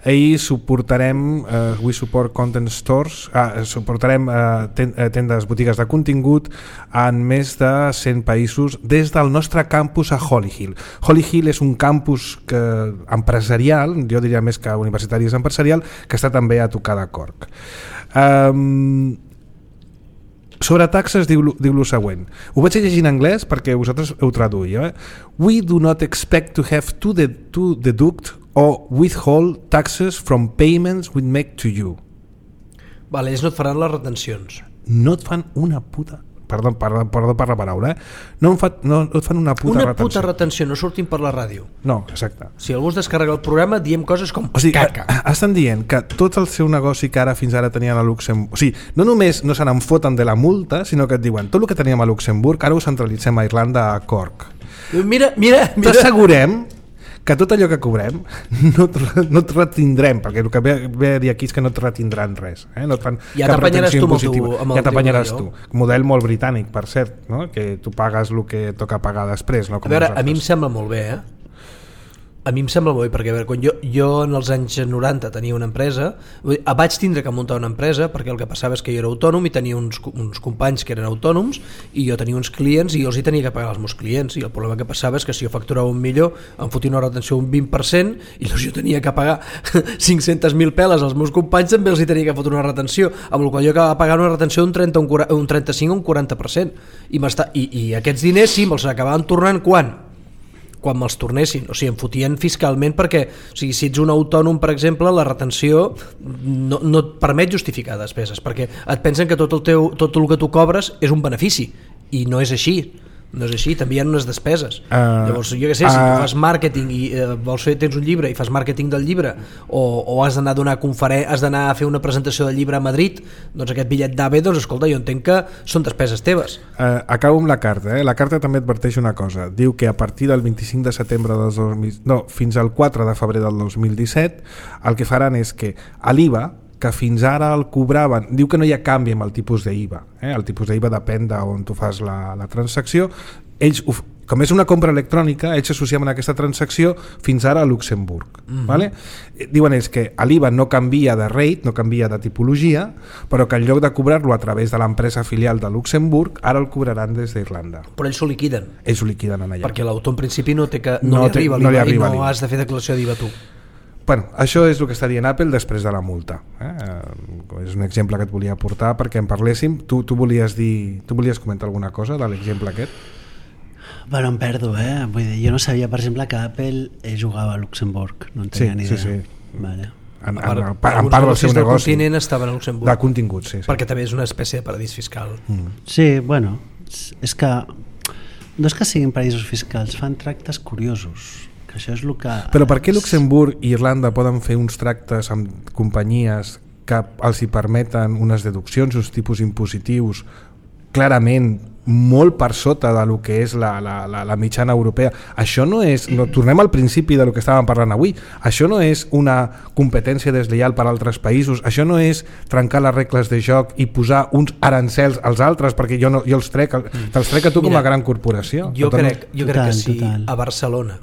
i suportarem eh, We Support Content Stores, eh, suportarem eh, ten, eh, tendes, botigues de contingut en més de cent països des del nostre campus a Holly Hill. Holly Hill és un campus que, empresarial, jo diria més que universitari és empresarial, que està també a tocar de Cork. Um, sobre taxes diu, diu lo següent, ho vaig llegir en anglès perquè vosaltres ho traduïu, eh? We do not expect to have to, de, to deduct or withhold taxes from payments we make to you. Vale, ells no et faran les retencions. No et fan una puta perdó, perdó, perdó per la paraula, eh? no, fa, no et fan una puta una retenció. puta retenció, no sortim per la ràdio. No, exacte. Si algú es descarrega el programa, diem coses com O sigui, caca. a- estan dient que tot el seu negoci que ara fins ara tenien a Luxemburg, o sigui, no només no se n'en foten de la multa, sinó que et diuen tot el que teníem a Luxemburg ara ho centralitzem a Irlanda, a Cork. Mira, mira, mira. T'assegurem que tot allò que cobrem no et, no et retindrem, perquè el que ve, ve a dir aquí és que no et retindran res, eh? No et fan Ja cap t'apanyaràs retenció tu amb el impositiva. teu- amb el ja t'apanyaràs teu tu. allò. Model molt britànic, per cert, no? Que tu pagues el que toca pagar després, no? A Com veure, a mi em nosaltres. sembla molt bé, eh? A mi em sembla molt bé, perquè a veure, quan jo, jo en els anys noranta tenia una empresa, vull dir, vaig tindre que muntar una empresa perquè el que passava és que jo era autònom i tenia uns, uns companys que eren autònoms i jo tenia uns clients i jo els hi tenia que pagar als meus clients, i el problema que passava és que si jo facturava un milió em fotia una retenció un vint per cent i llavors jo tenia que pagar cinc-centes mil peles als meus companys, també els hi tenia que fotre una retenció, amb la qual jo acabava pagant una retenció d'un trenta, un, quaranta, un trenta-cinc o un quaranta per cent i, i, i aquests diners sí me'ls acabaven tornant quan? quan me'ls tornessin, o sigui, em fotien fiscalment perquè, o sigui, si ets un autònom, per exemple, la retenció no, no et permet justificar despeses, perquè et pensen que tot el, teu, tot el que tu cobres és un benefici, i no és així. No és així, també hi ha unes despeses. Uh, Llavors, jo què sé, si uh, tu fas màrqueting i uh, vols fer, tens un llibre i fas màrqueting del llibre, o, o has d'anar a donar conferen- has d'anar a fer una presentació del llibre a Madrid, doncs aquest bitllet d'A V E, doncs escolta, jo entenc que són despeses teves. Uh, acabo amb la carta, eh? La carta també adverteix una cosa, diu que a partir del vint-i-cinc de setembre del dos mil, no, fins al quatre de febrer del dos mil disset el que faran és que a l'I V A, que fins ara el cobraven, diu que no hi ha canvi amb el tipus d'I V A, eh? El tipus d'I V A depèn d'on tu fas la, la transacció, ells, com és una compra electrònica, ells s'associen a aquesta transacció fins ara a Luxemburg. Mm-hmm. Vale? Diuen és que l'I V A no canvia de rate, no canvia de tipologia, però que en lloc de cobrar-lo a través de l'empresa filial de Luxemburg, ara el cobraran des d'Irlanda. Però ells s'ho liquiden. Ells ho liquiden en allà. Perquè l'autor en principi no, té que, no, No li té- arriba no li l'I V A arriba i l'I V no A. has de fer declaració d'I V A tu. Bueno, això és el que està dient Apple després de la multa. Eh? És un exemple que et volia aportar perquè en parléssim. Tu, tu, volies dir, tu volies comentar alguna cosa de l'exemple aquest? Bueno, em perdo, eh? Vull dir, jo no sabia, per exemple, que Apple eh, jugava a Luxemburg. No en tenia Sí, ni sí, idea. sí. Vale. En, en, part- en, en alguns part del seu negocis del negoci. continent estaven a Luxemburg. De contingut, sí. sí. Perquè també és una espècie de paradís fiscal. Mm. Sí, bueno, és- és que no és que siguin paraïsos fiscals, fan tractes curiosos, que això és el que... Però per què Luxemburg i Irlanda poden fer uns tractes amb companyies que els hi permeten unes deduccions, uns tipus impositius clarament molt per sota de lo que és la, la, la, la mitjana europea? Això no és, no, tornem al principi de lo que estàvem parlant avui, això no és una competència deslleial per a altres països, això no és trencar les regles de joc i posar uns arancels als altres perquè jo, no, jo els trec, te'ls trec a tu com Mira, a gran corporació. Jo Total, crec, jo crec Total, que si total. a Barcelona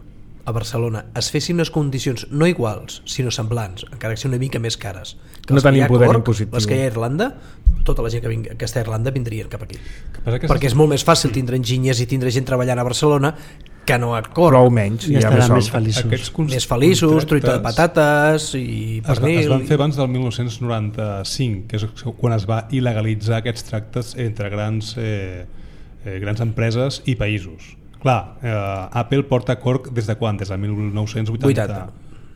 a Barcelona es fessin unes condicions no iguals, sinó semblants, encara que siguin una mica més cares, que No les que tenim hi ha a poder Cork, impositiu. les que hi ha a Irlanda, tota la gent que, vingui, que està a Irlanda vindrien cap aquí. passa que Perquè és molt més fàcil tindre enginyers i tindre gent treballant a Barcelona que no a Cork. prou menys. I hi ha estaran sol. més feliços. Aquests cons- Més feliços, truita de contractes patates i es, va, pernil. es van fer abans del dinou noranta-cinc, que és quan es va il·legalitzar aquests tractes entre grans, eh, eh, grans empreses i països. Clar, eh, Apple porta a Cork des de quan? Des de mil nou-cents vuitanta. vuitanta.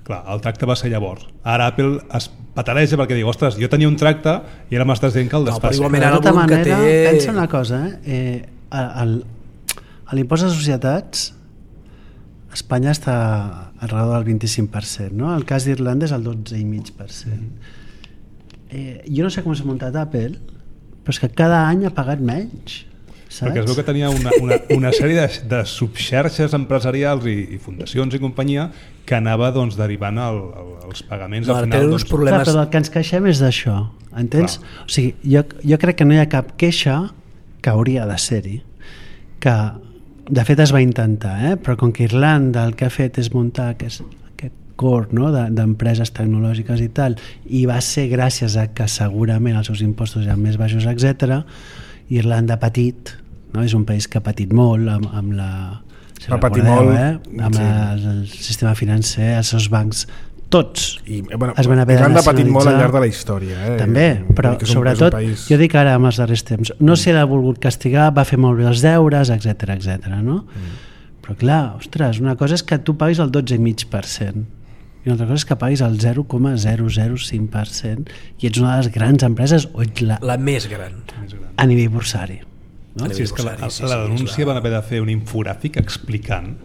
Clar, el tracte va ser llavors. Ara Apple es pataleja perquè diu, ostres, jo tenia un tracte i ara m'estàs dient que el No, però despassi. igualment Però ara de tota el volum que manera, té- pensa una cosa, eh? eh a- el- a l'impost de societats Espanya està alrededor del vint-i-cinc per cent, no? El cas d'Irlanda és el dotze coma cinc per cent. Eh, jo no sé com s'ha muntat Apple, però és que cada any ha pagat menys, saps? Perquè es veu que tenia una, una, una sèrie de, de subxarxes empresarials i, i fundacions i companyia que anava doncs, derivant el, el, els pagaments No, al ara final. tenen uns Doncs, problemes. Clar, però el que ens queixem és d'això, entens? Clar. O sigui, jo, jo crec que no hi ha cap queixa que hauria de ser-hi, que de fet es va intentar, eh? Però com que Irlanda el que ha fet és muntar aquest, aquest core, no? de, d'empreses tecnològiques i tal, i va ser gràcies a que segurament els seus impostos eren més baixos, etcètera. Irlanda ha patit, no? És un país que ha patit molt amb, amb la... Si Va patir recordeu, molt, eh? Amb sí. el, el sistema financer, els seus bancs, tots I, bueno, es van haver de Irlanda ha patit molt al nacionalitzar. llarg de la història. Eh? També, però Vull dir que és un- sobretot, és un país... jo dic ara amb els darrers temps, no sé l'ha volgut castigar, va fer molt bé els deures, etcètera, etcètera, no? Mm. Però clar, ostres, una cosa és que tu paguis el dotze coma cinc per cent i una altra cosa és que paguis el zero coma zero zero cinc per cent i ets una de les grans empreses o ets la, La més gran. a nivell bursari. no? Sí, és que la, a la denúncia van haver de fer un infogràfic explicant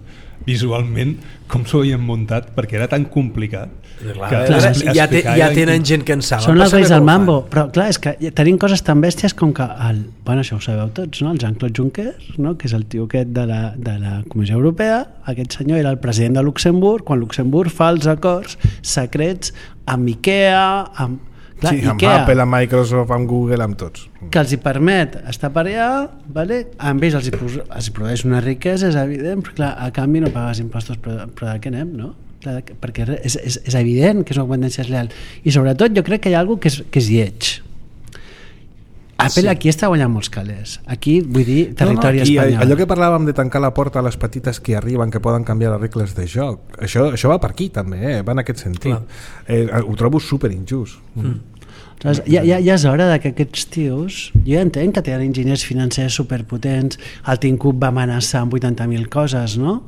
visualment com s'ho havien muntat perquè era tan complicat clar, que clar, expli- ja, té, ja explicar tenen i- gent que en saben. Són els Passa reis que del no ho mambo, fan. però clar, és que tenim coses tan bèsties com que el, bueno, això ho sabeu tots, no? El Jean-Claude Juncker, no? Que és el tio aquest de la, de la Comissió Europea, aquest senyor era el president de Luxemburg quan Luxemburg fa els acords secrets amb Ikea, amb, clar, Sí, amb Ikea, Apple, amb Microsoft, amb Google, amb tots. que els hi permet estar per allà, vale? Amb ells els hi, pro- els hi produeix una riquesa, és evident, però clar, a canvi no pagues impostos, però, però de què anem, no? Clar, perquè és, és, és evident que és una competència desleal. I sobretot jo crec que hi ha alguna cosa que és, que és lleig. Apple sí. Aquí està guanyant molts calés. Aquí, vull dir, territori no, no, aquí, espanyol. allò que parlàvem de tancar la porta a les petites que arriben, que poden canviar les regles de joc, això, això va per aquí també, eh? Va en aquest sentit. Eh, ho trobo super injust. Mm. Aleshores, ja, ja, ja és hora de que aquests tios, jo ja entenc que tenen enginyers financers superpotents, el Tim Cook va amenaçar amb vuitanta mil coses, no?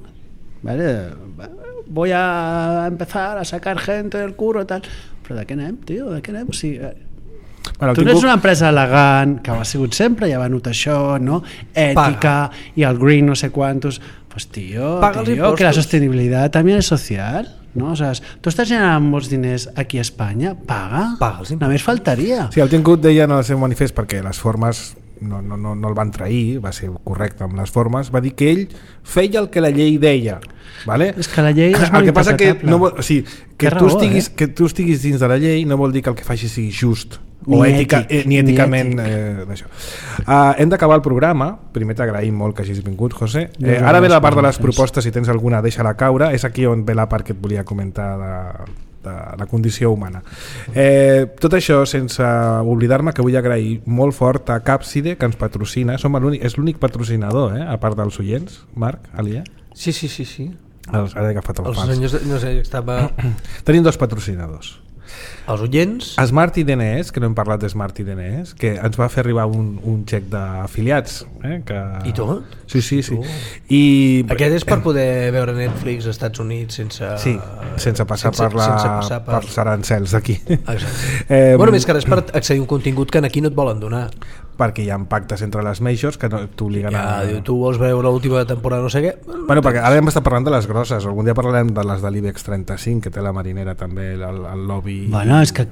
Vale, voy a empezar a sacar gente del curro tal, però de què anem, tio, de què anem? O sigui, Bueno, tu no ets una empresa elegant, que ho ha sigut sempre, ja va notar això, no? Ètica, Paga. I el green no sé quantos, pues tio, Paga els tio impostos. que la sostenibilitat també és social, no? O sea, tu estàs generant molts diners aquí a Espanya, paga, Paga els impostos. només faltaria. Sí, el Tim Cook deia en el seu manifest, perquè les formes no, no, no, no el van trair, va ser correcte amb les formes, va dir que ell feia el que la llei deia. Vale? És que la llei és el molt que passa que, no vol, o sigui, que, Té tu raó, estiguis, eh? que tu estiguis dins de la llei no vol dir que el que facis sigui just o Ni ètica, ètic, eh, ni ni èticament ètic. eh, d'això. Uh, hem d'acabar el programa. Primer t'agraïm molt que hagis vingut, José. No, Eh, no, ara ve no, la part de no, les no, propostes, si tens alguna deixa-la caure. És aquí on ve la part que et volia comentar de, de la condició humana. Eh, tot això sense oblidar-me que vull agrair molt fort a Capside, que ens patrocina. Som l'únic, és l'únic patrocinador, eh, a part dels oients. Marc, Alia? Sí, sí, sí, sí. Els, ara he agafat el Els fals. senyors, de- no sé, estava... Tenim dos patrocinadors. Els oients... Smart I D N S, que no hem parlat de Smart I D N S, que ens va fer arribar un, un xec d'afiliats. Eh, que... I tot? Sí, sí, sí. Tu? I... Aquest és per poder veure Netflix als Estats Units sense... Sí, sense passar sense, per, la, sense passar per... per els arancels d'aquí. Exacte. Eh, bueno, més que res per accedir a un contingut que aquí no et volen donar. perquè hi ha pactes entre les majors que no t'obliguen Ja, a... diu, tu vols veure l'última temporada no sé què... Bueno, perquè ara hem estat parlant de les grosses, algun dia parlarem de les de l'IBEX trenta-cinc, que té la Marinera també, el, el lobby... Bueno, és que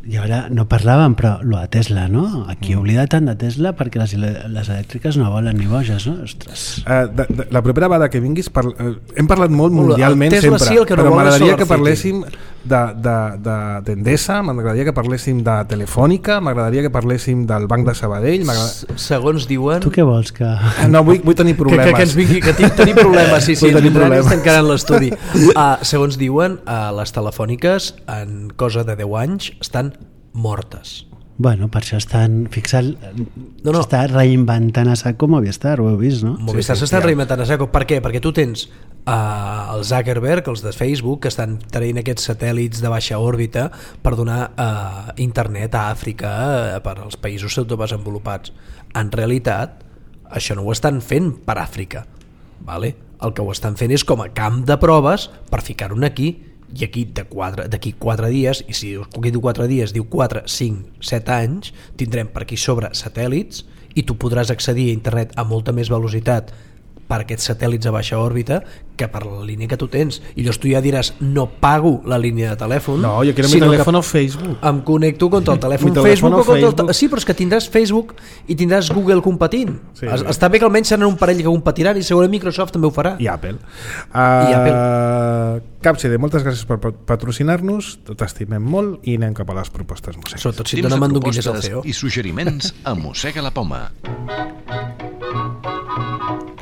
i ara no parlàvem, però lo de Tesla, no? Aquí mm. oblida tant de Tesla perquè les, les elèctriques no volen ni boges, no? Ostres. Uh, de, de, la propera vegada que vinguis par, uh, hem parlat molt mundialment Tesla sempre, sí, el que no però vol és m'agradaria que SolarCity. parléssim d'Endesa, de, de, m'agradaria que parléssim de Telefònica, m'agradaria que parléssim del Banc de Sabadell. S- segons diuen... Tu què vols? Que... No, vull, vull tenir Que, problemes. que, que ens vingui, que tinc, tenim problemes, sí, sí, Vull ens tenir vindran i problemes. estan quedant l'estudi. Uh, segons diuen, uh, les telefòniques en cosa de deu anys estan mortes. Bueno, per això estan fixant... No, no. S'està reinventant a saco Movistar, ho heu vist, no? Movistar sí, s'estan sí. reinventant a saco. Per què? Perquè tu tens uh, el Zuckerberg, els de Facebook, que estan traient aquests satèl·lits de baixa òrbita per donar uh, internet a Àfrica uh, per als països subdesenvolupats. En realitat, això no ho estan fent per Àfrica. Vale? El que ho estan fent és com a camp de proves per ficar-ho aquí, i aquí d'aquí quatre dies, i si aquí diu quatre dies, diu quatre, cinc, set anys, tindrem per aquí sobre satèl·lits i tu podràs accedir a internet a molta més velocitat per aquests satèl·lits a baixa òrbita que per la línia que tu tens. I llavors tu ja diràs, no pago la línia de telèfon. No, jo quiero mi sinó teléfono que Facebook. Em connecto contra el telèfon Mi Facebook, teléfono o contra el Facebook. te... Sí, però és que tindràs Facebook i tindràs Google competint. Sí, Es- sí. Està bé que almenys seran un parell que competiran i segurament Microsoft també ho farà. I Apple. Uh, I Apple. Capside, moltes gràcies per patrocinar-nos, t'estimem molt i anem cap a les propostes musicals. Sobretot si et Temps dona de mandonguilles al propostes C E O. i suggeriments a Mossega la Poma.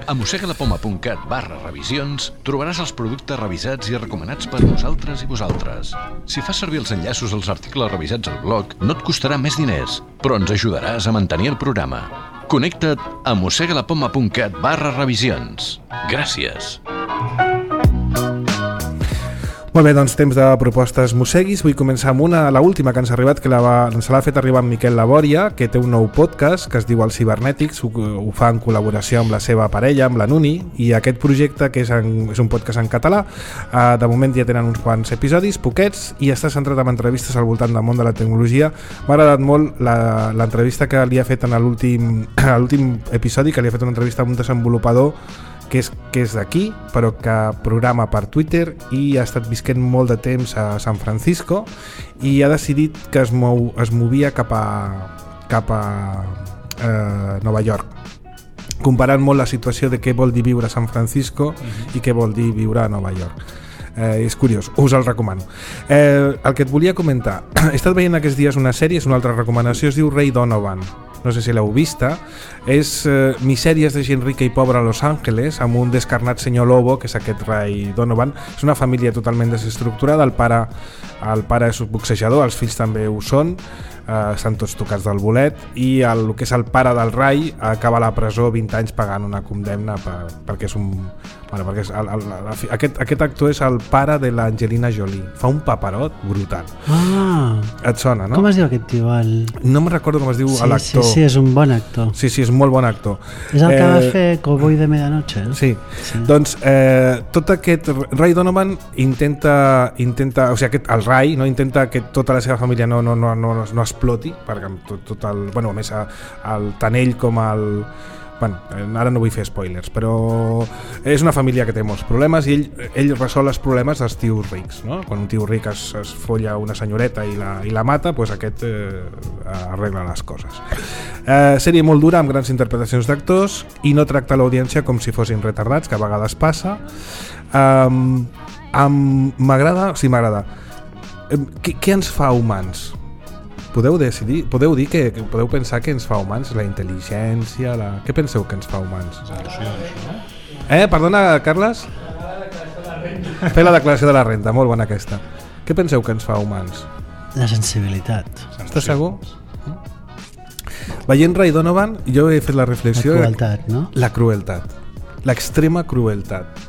A mossegalapoma.cat barra revisions trobaràs els productes revisats i recomanats per nosaltres i vosaltres. Si fas servir els enllaços als articles revisats al blog, no et costarà més diners, però ens ajudaràs a mantenir el programa. Connecta't a mossegalapoma.cat barra revisions. Gràcies. Molt bé, doncs temps de propostes mosseguis. Vull començar amb una, la última que ens ha arribat, que la va, ens l'ha fet arribar en Miquel Labòria, que té un nou podcast que es diu Els Cibernètics, ho, ho fa en col·laboració amb la seva parella, amb la Nuni, i aquest projecte, que és, en, és un podcast en català, eh, de moment ja tenen uns quants episodis, poquets, i està centrat en entrevistes al voltant del món de la tecnologia. M'ha agradat molt la, l'entrevista que li ha fet en l'últim, l'últim episodi, que li ha fet una entrevista amb un desenvolupador que és, que és d'aquí, però que programa per Twitter i ha estat visquent molt de temps a San Francisco i ha decidit que es, mou, es movia cap a, cap a eh, Nova York, comparant molt la situació de què vol dir viure a San Francisco uh-huh. i què vol dir viure a Nova York. Eh, és curiós, us el recomano. Eh, el que et volia comentar, he estat veient aquests dies una sèrie, és una altra recomanació, es diu Ray Donovan. No sé si l'heu vista, és eh, misèries de gent rica i pobra a Los Angeles, amb un descarnat senyor Lobo, que és aquest Ray Donovan. És una família totalment desestructurada, el pare, el pare és boxejador, els fills també ho són, eh, estan tots tocats del bolet, i el, el que és el pare del Ray acaba a la presó vint anys pagant una condemna per, perquè és un... Bueno, perquè és el, el, el, aquest, aquest actor és el pare de l'Angelina Jolie. Fa un paperot brutal. Ah, et sona, no? Com es diu aquest tio? El... No me'n recordo com es diu sí, l'actor. Sí, sí, és un bon actor. Sí, sí, és molt bon actor. És el que eh, va fer Cowboy de Medianoche. Eh? Sí. sí, doncs eh, tot aquest... Ray Donovan intenta... intenta o sigui, aquest, el Ray no, intenta que tota la seva família no, no, no, no, no exploti, perquè tot, tot el... Bueno, a més, el, tant ell com el... Bueno, ara no vull fer spoilers, però és una família que té molts problemes i ell, ell resol els problemes dels tios rics, no? Quan un tio ric es, es folla una senyoreta i la, i la mata, doncs aquest eh, arregla les coses. Eh, sèrie molt dura, amb grans interpretacions d'actors i no tracta l'audiència com si fossin retardats, que a vegades passa. Um, um, m'agrada, sí, m'agrada. Um, què, què ens fa humans? Podeu decidir, podeu dir que, que podeu pensar que ens fa humans, la intel·ligència, la... Què penseu que ens fa humans? Eh, perdona, Carles? Fer la declaració de la renda, molt bona aquesta. Què penseu que ens fa humans? La sensibilitat. Estàs segur? Veient Ray Donovan, jo he fet la reflexió... La crueltat, no? La crueltat. L'extrema crueltat.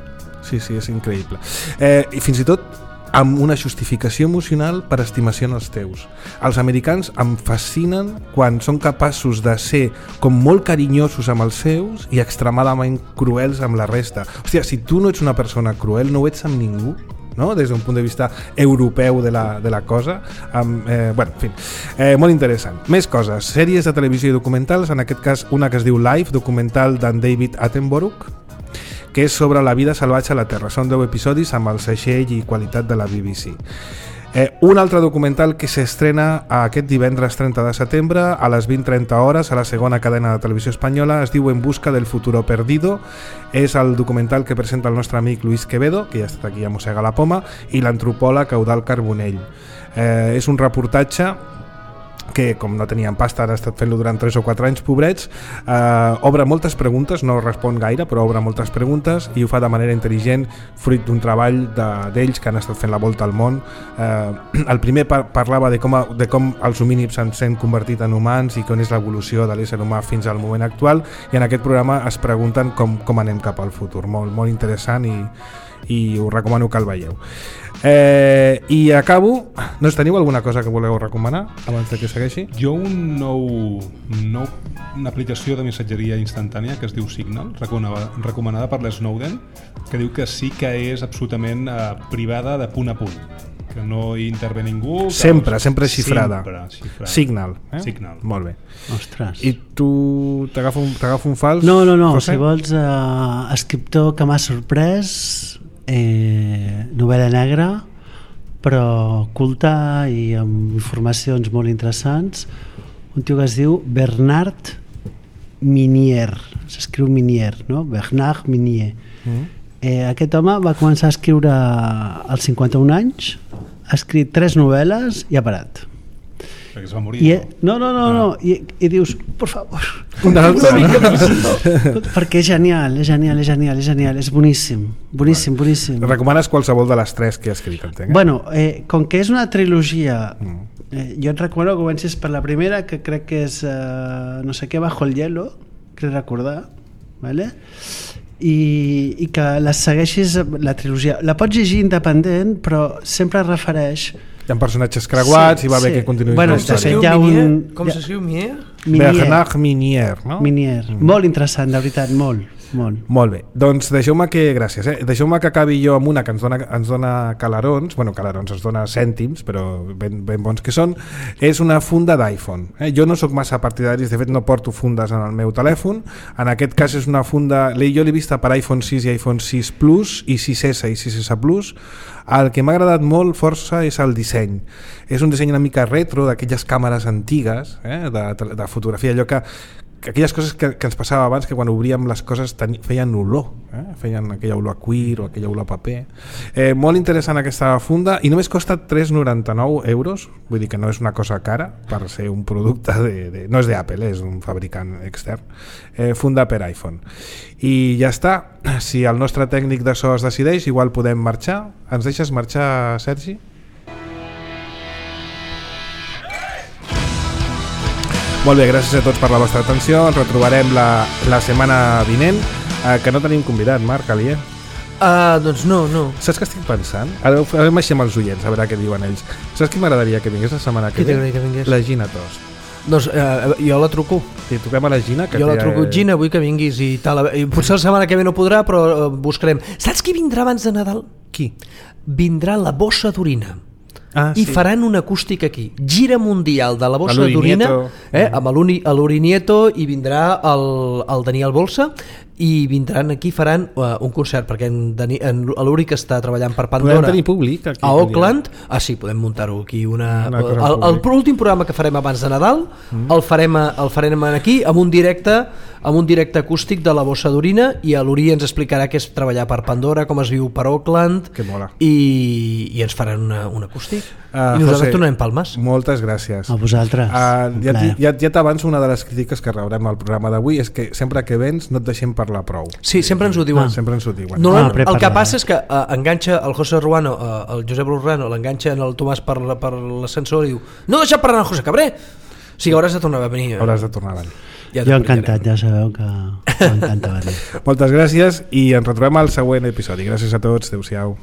Sí, sí, és increïble. Eh, I fins i tot amb una justificació emocional per estimació en els teus. Els americans em fascinen quan són capaços de ser com molt carinyosos amb els seus i extremadament cruels amb la resta. Hòstia, si tu no ets una persona cruel, no ho ets amb ningú, no? Des d'un punt de vista europeu de la, de la cosa. Amb, eh, bueno, en fi, eh, molt interessant. Més coses, sèries de televisió i documentals, en aquest cas una que es diu Life, documental d'en David Attenborough, que és sobre la vida salvatge a la Terra. Són deu episodis amb el segell i qualitat de la B B C. Eh, un altre documental que s'estrena aquest divendres trenta de setembre a les vint trenta hores a la segona cadena de televisió espanyola, es diu En busca del futuro perdido. És el documental que presenta el nostre amic Luis Quevedo, que ja ha estat aquí a Mossega la Poma, i l'antropòleg Eudald Carbonell. Eh, és un reportatge que, com no tenien pasta, han estat fent-lo durant tres o quatre anys, pobrets, eh, obre moltes preguntes, no respon gaire, però obre moltes preguntes i ho fa de manera intel·ligent, fruit d'un treball d'ells que han estat fent la volta al món. Eh, el primer par parlava de com, a, de com els homínids s'han convertit en humans i com és l'evolució de l'ésser humà fins al moment actual, i en aquest programa es pregunten com, com anem cap al futur. Molt, molt interessant i, i us recomano que el veieu. Eh, i acabo. No teniu alguna cosa que voleu recomanar abans que segueixi? Jo un nou, nou una aplicació de missatgeria instantània que es diu Signal, recomanada, recomanada per l'Snowden, que diu que sí que és absolutament eh, privada de punt a punt, que no hi intervé ningú, sempre, sempre xifrada. Sempre xifrada. Signal, eh? Signal. Molt bé. Ostres. I tu t'agafo un, un fals? No, no, no, José? si vols uh, escriptor que m'ha sorprès, eh, novel·la negra, però culta i amb informacions molt interessants, un tio que es diu Bernard Minier, s'escriu Minier, no? Bernard Minier. Mm. Eh, aquest home va començar a escriure als cinquanta-un anys, ha escrit tres novel·les i ha parat. Perquè es va morir. I, no, no, no, no. I, i dius, por favor, una altra, no? Perquè és genial, és genial, és genial, és genial, és boníssim, boníssim, boníssim. Recomanes qualsevol de les tres que he escrit, entenc? Eh? Bueno, eh, com que és una trilogia, eh, jo et recomano que comencis per la primera, que crec que és eh, no sé què, Bajo el hielo, crec recordar, ¿vale? i, i que les segueixis la trilogia. La pots llegir independent, però sempre es refereix... Hi ha personatges creuats sí, i va bé sí. que continuï bueno, la història. hi ha un... Com s'escriu Minier? Bernard Minier, no? Minier. Mm. Molt interessant, de veritat, molt. Molt. Molt bé, doncs deixeu-me que, gràcies, eh? deixeu-me que acabi jo amb una que ens dona, ens dona calarons, bueno, calarons, ens dona cèntims, però ben, ben bons que són, és una funda d'iPhone. Eh? Jo no sóc massa partidaris, de fet no porto fundes en el meu telèfon, en aquest cas és una funda, jo l'he vista per iPhone sis i iPhone sis Plus i sis essa i sis essa Plus. El que m'ha agradat molt força és el disseny. És un disseny una mica retro, d'aquelles càmeres antigues, eh? de, de fotografia, allò que aquelles coses que, que ens passava abans, que quan obríem les coses ten, feien olor, eh? feien aquella olor a cuir o aquella olor a paper. Eh, molt interessant aquesta funda i només costa tres coma noranta-nou euros, vull dir que no és una cosa cara per ser un producte de, de, no és d'Apple, és un fabricant extern. Eh, funda per iPhone. I ja està, si el nostre tècnic de so es decideix, igual podem marxar. Ens deixes marxar, Sergi? Molt bé, gràcies a tots per la vostra atenció. Ens retrobarem la, la setmana vinent, eh, que no tenim convidat, Marc Alier. Uh, doncs no, no. Saps què estic pensant? Ara ho farem així amb els oients, a veure què diuen ells. Saps qui m'agradaria que vingués la setmana que ve? Que vingués? La Gina Tost. Doncs uh, jo la truco. Sí, truquem a la Gina. Que jo la truco, té... Gina, vull que vinguis i tal. I potser la setmana que ve no podrà, però uh, buscarem. Saps qui vindrà abans de Nadal? Qui? Vindrà la bossa d'orina. Ah, i sí. faran una acústica aquí, gira mundial de la bossa d'orina, eh, amb l'Urinieto, i vindrà el, el Daniel Bolsa, i vindran aquí, faran uh, un concert, perquè en, Dani, en l'Uri, que està treballant per Pandora, podem tenir públic aquí, a Auckland, ah sí, podem muntar-ho aquí una, una el, l'últim programa que farem abans de Nadal mm. el, farem, el farem aquí amb un directe amb un directe acústic de la bossa d'orina, i l'Uri ens explicarà què és treballar per Pandora, com es viu per Auckland, i, i ens faran una, un acústic. Uh, I nosaltres José, tornarem palmes. Moltes gràcies. A vosaltres. Uh, ja ja, ja t'avanço, una de les crítiques que rebrem al programa d'avui és que sempre que vens no et deixem parlar prou. Sí, sempre ens ho diuen. Ah. Sempre ens ho diuen. No, no, no, el que passa és que uh, enganxa el José Ruano, uh, el Josep Lurrano, l'enganxa en el Tomàs per, per l'ascensor i diu: no deixa parlar el José Cabré. O sigui, hauràs de tornar a venir. Hauràs de tornar a venir. Ja jo encantat, ja sabeu que m'encanta venir. Moltes gràcies i ens retrobem al següent episodi. Gràcies a tots, adeu-siau.